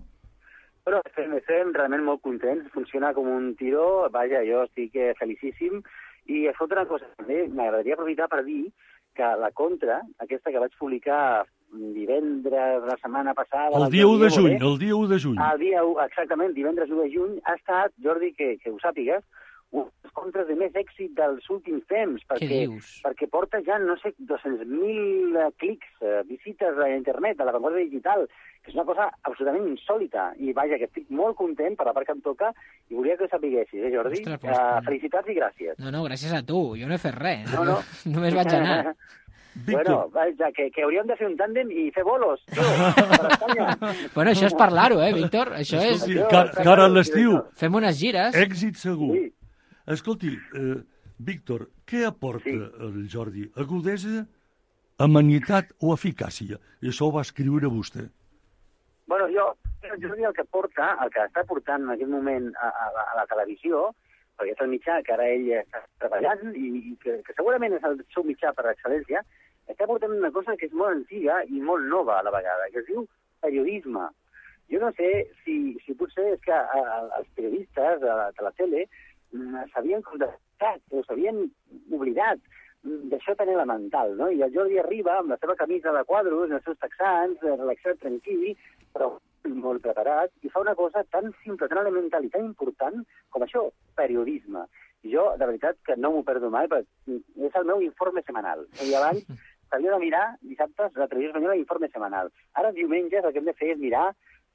Però estem, estem realment molt contents, funciona com un tiró, vaja, jo estic eh, felicíssim, i escolta una cosa, també m'agradaria aprofitar per dir que la contra, aquesta que vaig publicar divendres la setmana passada... El dia u de juny, el dia u de juny. El dia u, exactament, divendres u de juny, ha estat, Jordi, que, que ho sàpigues, uns contres de més èxit dels últims temps, perquè, perquè porta ja, no sé, dos-cents mil clics, uh, visites a internet, a la Vanguardia Digital, que és una cosa absolutament insòlita. I vaja, que estic molt content per la part que em toca i volia que ho sapiguessis, eh, Jordi? Ostres, pues, uh, felicitats i gràcies. No, no, gràcies a tu. Jo no he fet res. No, no. Només vaig anar. Bueno, vaja, que, que hauríem de fer un tàndem i fer bolos, tio, per Espanya. Bueno, això és parlar-ho, eh, Víctor? Això és... Escolti, car cara a l'estiu. Fem unes gires. Èxit segur. Sí. Escolti, eh, Víctor, què aporta sí. el Jordi? Agudesa, amenitat o eficàcia? I això ho va escriure vostè. Bueno, jo, el Jordi el que porta, el que està portant en aquest moment a, a, a la televisió, perquè és el mitjà que ara ell està treballant i, i que, que segurament és el seu mitjà per excel·lència, està portant una cosa que és molt antiga i molt nova a la vegada, que es diu periodisme. Jo no sé si, si potser és que a, a, els periodistes de la, de la tele s'havien contestat o s'havien oblidat d'això tan elemental, no? I el Jordi arriba amb la seva camisa de quadros, els seus texans, relaxat, tranquil, però molt preparat, i fa una cosa tan simple, tan elemental i tan important com això, periodisme. I jo, de veritat, que no m'ho perdo mai, perquè és el meu informe setmanal. I abans s'havia de mirar, dissabtes, la televisió espanyola, informe setmanal. Ara, diumenges, el que hem de fer és mirar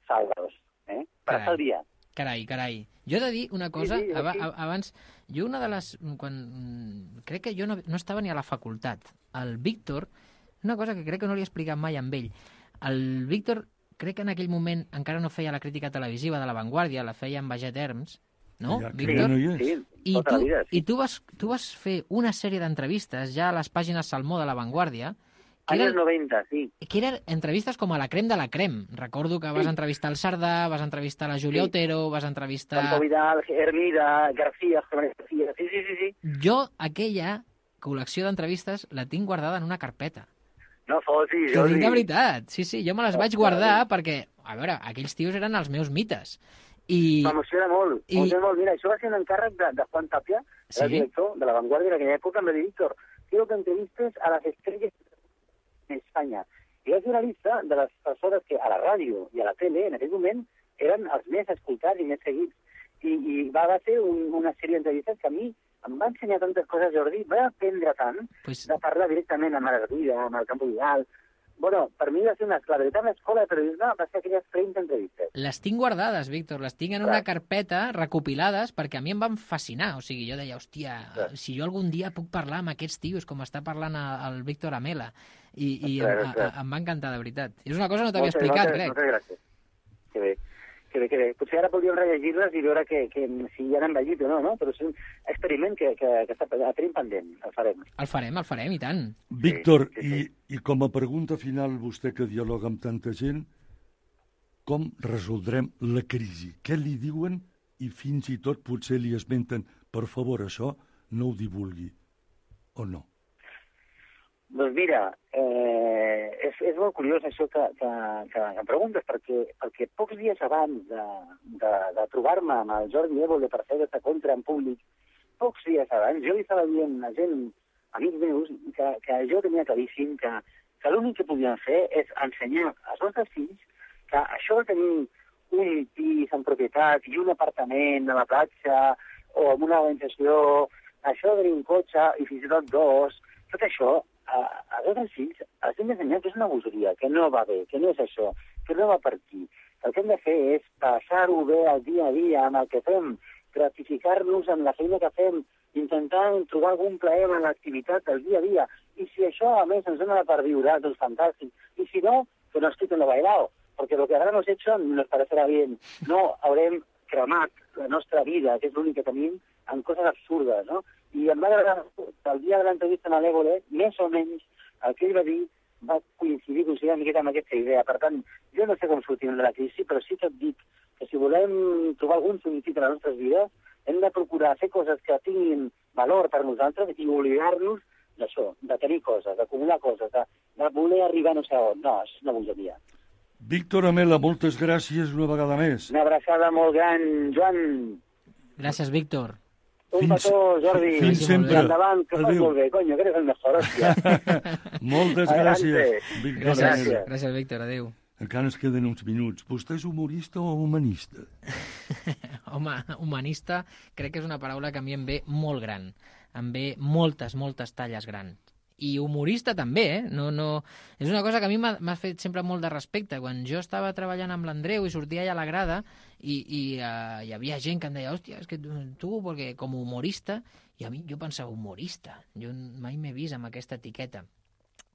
Salvados, eh? Per estar al dia. Carai, carai. Jo he de dir una cosa, sí, sí, ab sí. abans, jo una de les... quan crec que jo no, no estava ni a la facultat. El Víctor, una cosa que crec que no li he explicat mai amb ell, el Víctor, crec que en aquell moment encara no feia la crítica televisiva de La Vanguardia, la feia amb Baget Herms, no, ja, Víctor? No hi sí, I tota tu, la vida. Sí. I tu vas, tu vas fer una sèrie d'entrevistes ja a les pàgines Salmó de La Vanguardia, que Anys eren, noventa, sí. que eren entrevistes com a la crem de la crem. Recordo que vas Sí. entrevistar el Sardà, vas entrevistar la Júlia Sí. Otero, vas entrevistar... Campo Vidal, Hermida, García, García, sí, sí, sí, sí. Jo, aquella col·lecció d'entrevistes la tinc guardada en una carpeta. No fotis, T'ho dic Jordi. de veritat. Sí, sí, jo me les vaig Ostres. guardar perquè, a veure, aquells tios eren els meus mites. I... M'emociona molt, I- m'emociona molt. Mira, això va ser un encàrrec de, de Juan Tapia, Sí? el director de La Vanguardia d'aquella època, em va dir, Víctor, quiero que entrevistes a las estrellas de España. I va fer una llista de les persones que a la ràdio i a la tele, en aquell moment, eren els més escoltats i més seguits. I, i va, va ser un, una sèrie d'entrevistes que a mi em va ensenyar tantes coses, Jordi, va aprendre tant Pues, de parlar directament amb la Garriga, amb el Campo Vidal. Bueno, per mi va ser una, la veritable escola de periodisme, va ser aquelles trenta entrevistes. les tinc guardades, Víctor, les tinc en una Clar. carpeta recopilades perquè a mi em van fascinar. O sigui, jo deia, hòstia, Clar. si jo algun dia puc parlar amb aquests tios com està parlant el, el Víctor Amela. I, i Clar, em, clar. a, em va encantar, de veritat. I és una cosa que no t'havia Moltes, explicat, moltes, crec. Moltes gràcies. Que bé, que bé, que bé. Potser ara podríem rellegir-les i veure que, que, si ja han envellit o no, no? Però és un experiment que, que, que està, tenim pendent, el farem. El farem, el farem, i tant. Víctor, sí, sí. I, i com a pregunta final, vostè que dialoga amb tanta gent, com resoldrem la crisi? Què li diuen i fins i tot potser li esmenten, per favor, això no ho divulgui, o no? Doncs mira, eh, és, és molt curiós això que, que, que em preguntes, perquè, perquè pocs dies abans de, de, de trobar-me amb el Jordi Évole per fer aquesta contra en públic, pocs dies abans, jo li estava dient a gent, amics meus, que, que jo tenia claríssim que, que l'únic que podíem fer és ensenyar als nostres fills que això de tenir un pis en propietat i un apartament a la platja o amb una organització, això de tenir un cotxe i fins i tot dos, tot això, a, a tots els fills els hem d'ensenyar que és una bogeria, que no va bé, que no és això, que no va per aquí. El que hem de fer és passar-ho bé al dia a dia amb el que fem, gratificar-nos amb la feina que fem, intentant trobar algun plaer en l'activitat del dia a dia. I si això, a més, ens dona per viure, doncs fantàstic. I si no, que nos quiten lo bailado, porque lo que habremos hecho nos parecerá bien. No haurem cremat la nostra vida, que és l'únic que tenim, en coses absurdes, no? I em va agradar que el dia de l'entrevista amb l'Évole, més o menys, el que ell va dir va coincidir, coincidir una miqueta amb aquesta idea. Per tant, jo no sé com sortim de la crisi, però sí que et dic que si volem trobar algun sentit a les nostres vides, hem de procurar fer coses que tinguin valor per nosaltres i oblidar-nos d'això, de tenir coses, d'acumular coses, de, de voler arribar no sé on. No, és una bogeria. Víctor Amela, moltes gràcies una vegada més. Una abraçada molt gran, Joan. Gràcies, Víctor. Un Fins- petó, Jordi. fins I sempre. endavant, que fas Adéu. molt bé, coño, que eres el mejor, hòstia. Moltes Adelante. gràcies, Víctor Gràcies, Amela. Gràcies. gràcies Víctor, adéu. Encara ens queden uns minuts. Vostè és humorista o humanista? Home, humanista crec que és una paraula que a mi em ve molt gran. Em ve moltes, moltes talles grans. I humorista també, eh? No, no... És una cosa que a mi m'ha m'ha fet sempre molt de respecte. Quan jo estava treballant amb l'Andreu i sortia allà a la grada i, i uh, hi havia gent que em deia, hòstia, és que tu, tu perquè com a humorista, i a mi jo pensava, humorista? Jo mai m'he vist amb aquesta etiqueta.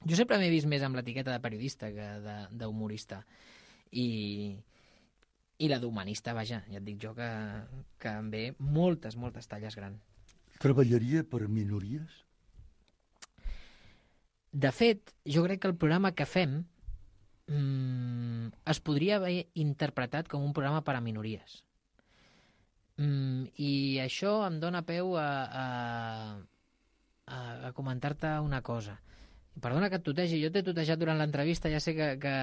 Jo sempre m'he vist més amb l'etiqueta de periodista que d'humorista. I, i la d'humanista, vaja, ja et dic jo que, que em ve moltes, moltes talles grans. Treballaria per minories? De fet, jo crec que el programa que fem mmm, es podria haver interpretat com un programa per a minories. Mm, I això em dóna peu a, a, a, a comentar-te una cosa. Perdona que et tutegi, jo t'he tutejat durant l'entrevista, ja sé que, que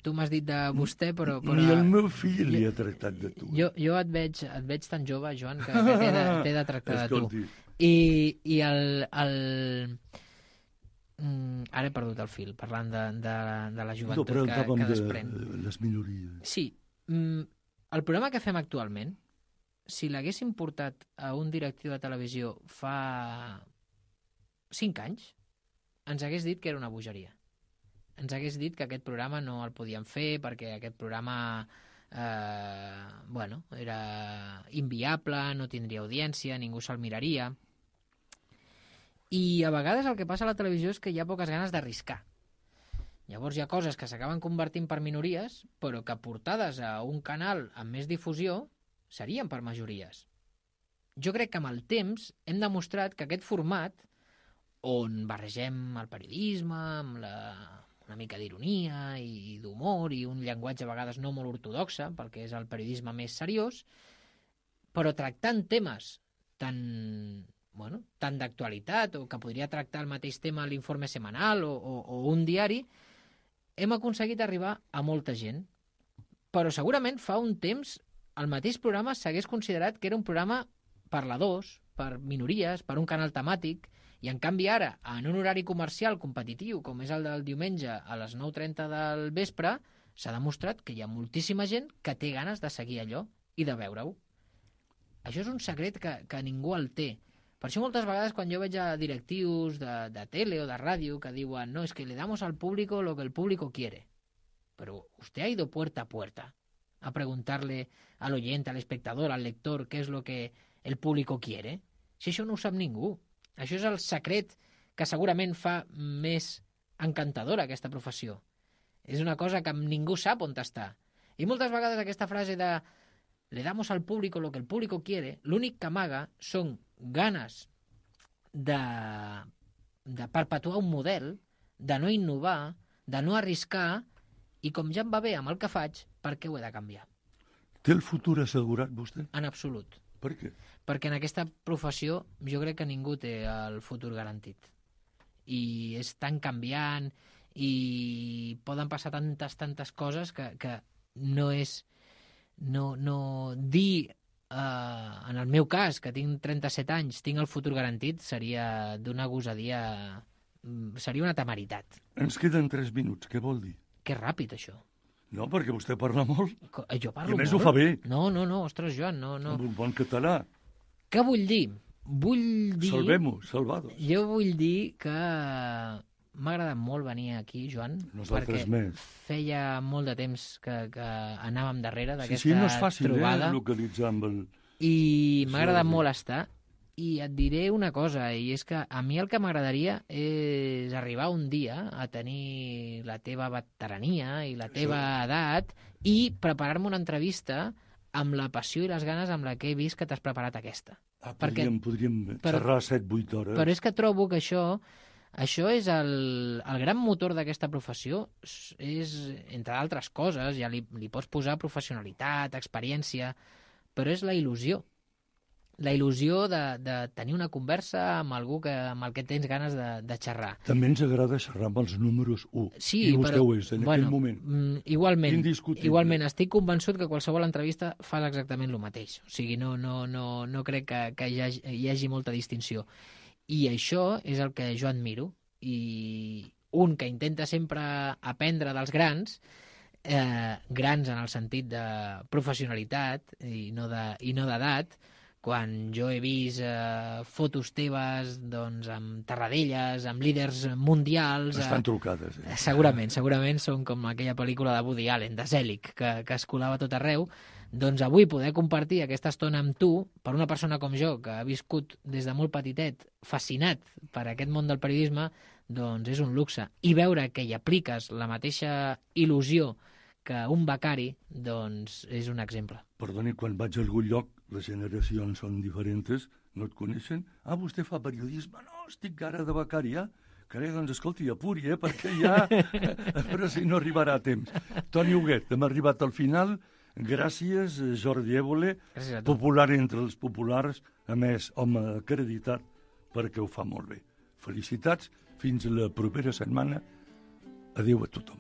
tu m'has dit de vostè, però... però Ni el meu fill li ha tractat de tu. Jo, jo et, veig, et veig tan jove, Joan, que, que t'he de, t'he de tractar de tu. Escolti, I, i el... el... Mm, ara he perdut el fil, parlant de, de, de la no, joventut però que, parlàvem que de desprèn. les minories. Sí, mm, el programa que fem actualment, si l'haguéssim portat a un directiu de televisió fa cinc anys, ens hagués dit que era una bogeria. Ens hagués dit que aquest programa no el podíem fer perquè aquest programa eh, bueno, era inviable, no tindria audiència, ningú se'l miraria. I a vegades el que passa a la televisió és que hi ha poques ganes d'arriscar. Llavors hi ha coses que s'acaben convertint per minories, però que portades a un canal amb més difusió serien per majories. jo crec que amb el temps hem demostrat que aquest format, on barregem el periodisme amb la, una mica d'ironia i d'humor i un llenguatge a vegades no molt ortodoxe, perquè és el periodisme més seriós, però tractant temes tan, bueno, tan d'actualitat o que podria tractar el mateix tema a l'informe setmanal o, o, o un diari, hem aconseguit arribar a molta gent. Però segurament fa un temps el mateix programa s'hagués considerat que era un programa per la dos, per minories, per un canal temàtic, i en canvi ara, en un horari comercial competitiu, com és el del diumenge a les nou trenta del vespre, s'ha demostrat que hi ha moltíssima gent que té ganes de seguir allò i de veure-ho. Això és un secret que, que ningú el té. Per això moltes vegades quan jo veig a directius de, de tele o de ràdio que diuen no, es que le damos al público lo que el público quiere. Pero usted ha ido puerta a puerta a preguntarle al oyente, al espectador, al lector, qué es lo que el público quiere. Si això no ho sap ningú. Això és el secret que segurament fa més encantadora aquesta professió. És una cosa que ningú sap on està. I moltes vegades aquesta frase de le damos al público lo que el público quiere, l'únic que amaga són ganes de, de perpetuar un model, de no innovar, de no arriscar, i com ja em va bé amb el que faig, per què ho he de canviar? Té el futur assegurat, vostè? En absolut. Per què? Perquè en aquesta professió jo crec que ningú té el futur garantit. I és tan canviant i poden passar tantes, tantes coses que, que no és... No, no dir, eh, en el meu cas, que tinc trenta-set anys, tinc el futur garantit, seria d'una gosadia... Seria una temeritat. Ens queden tres minuts, què vol dir? Que ràpid, això. No, perquè vostè parla molt. Jo parlo I a més molt. ho fa bé. No, no, no, ostres, Joan, no, no. Amb un bon català. Què vull dir? Vull dir... Salvem-ho, salvados. Jo vull dir que m'ha agradat molt venir aquí, Joan, Nosaltres perquè més. feia molt de temps que, que anàvem darrere Sí, d'aquesta sí, no és fàcil, trobada. eh, localitzar amb el... I m'ha agradat Sí, molt estar. I et diré una cosa, i és que a mi el que m'agradaria és arribar un dia a tenir la teva veterania i la teva edat i preparar-me una entrevista amb la passió i les ganes amb la que he vist que t'has preparat aquesta. Ah, perquè- podríem, podríem però- xerrar set vuit hores. Però és que trobo que això, això és el, el gran motor d'aquesta professió, és, entre altres coses, ja li, li pots posar professionalitat, experiència, però és la il·lusió. La il·lusió de, de tenir una conversa amb algú que, amb el que tens ganes de, de xerrar. També ens agrada xerrar amb els números u. Sí, I vostè però, ho és, en bueno, aquell moment. mm, igualment, Indiscutible. igualment, estic convençut que qualsevol entrevista fa exactament el mateix. O sigui, no, no, no, no crec que, que hi, hagi, hi hagi molta distinció. I això és el que jo admiro. I un que intenta sempre aprendre dels grans, eh, grans en el sentit de professionalitat i no de, i no d'edat, quan jo he vist eh, fotos teves doncs, amb Tarradellas, amb líders mundials... Estan eh, trucades. Eh? Segurament, segurament són com aquella pel·lícula de Woody Allen, de Zelig, que, que es colava a tot arreu. Doncs avui poder compartir aquesta estona amb tu, per una persona com jo, que ha viscut des de molt petitet, fascinat per aquest món del periodisme, doncs és un luxe. I veure que hi apliques la mateixa il·lusió que un becari, doncs és un exemple. Perdoni, quan vaig a algun lloc, les generacions són diferents, no et coneixen? Ah, vostè fa periodisme? No, estic ara de becari, ja? Carai, doncs escolti, apuri, eh, perquè ja... Però si no arribarà a temps. Toni Huguet, hem arribat al final. Gràcies, Jordi Évole, Gràcies a tu. popular entre els populars, a més, home acreditat, perquè ho fa molt bé. Felicitats, fins la propera setmana. Adéu a tothom.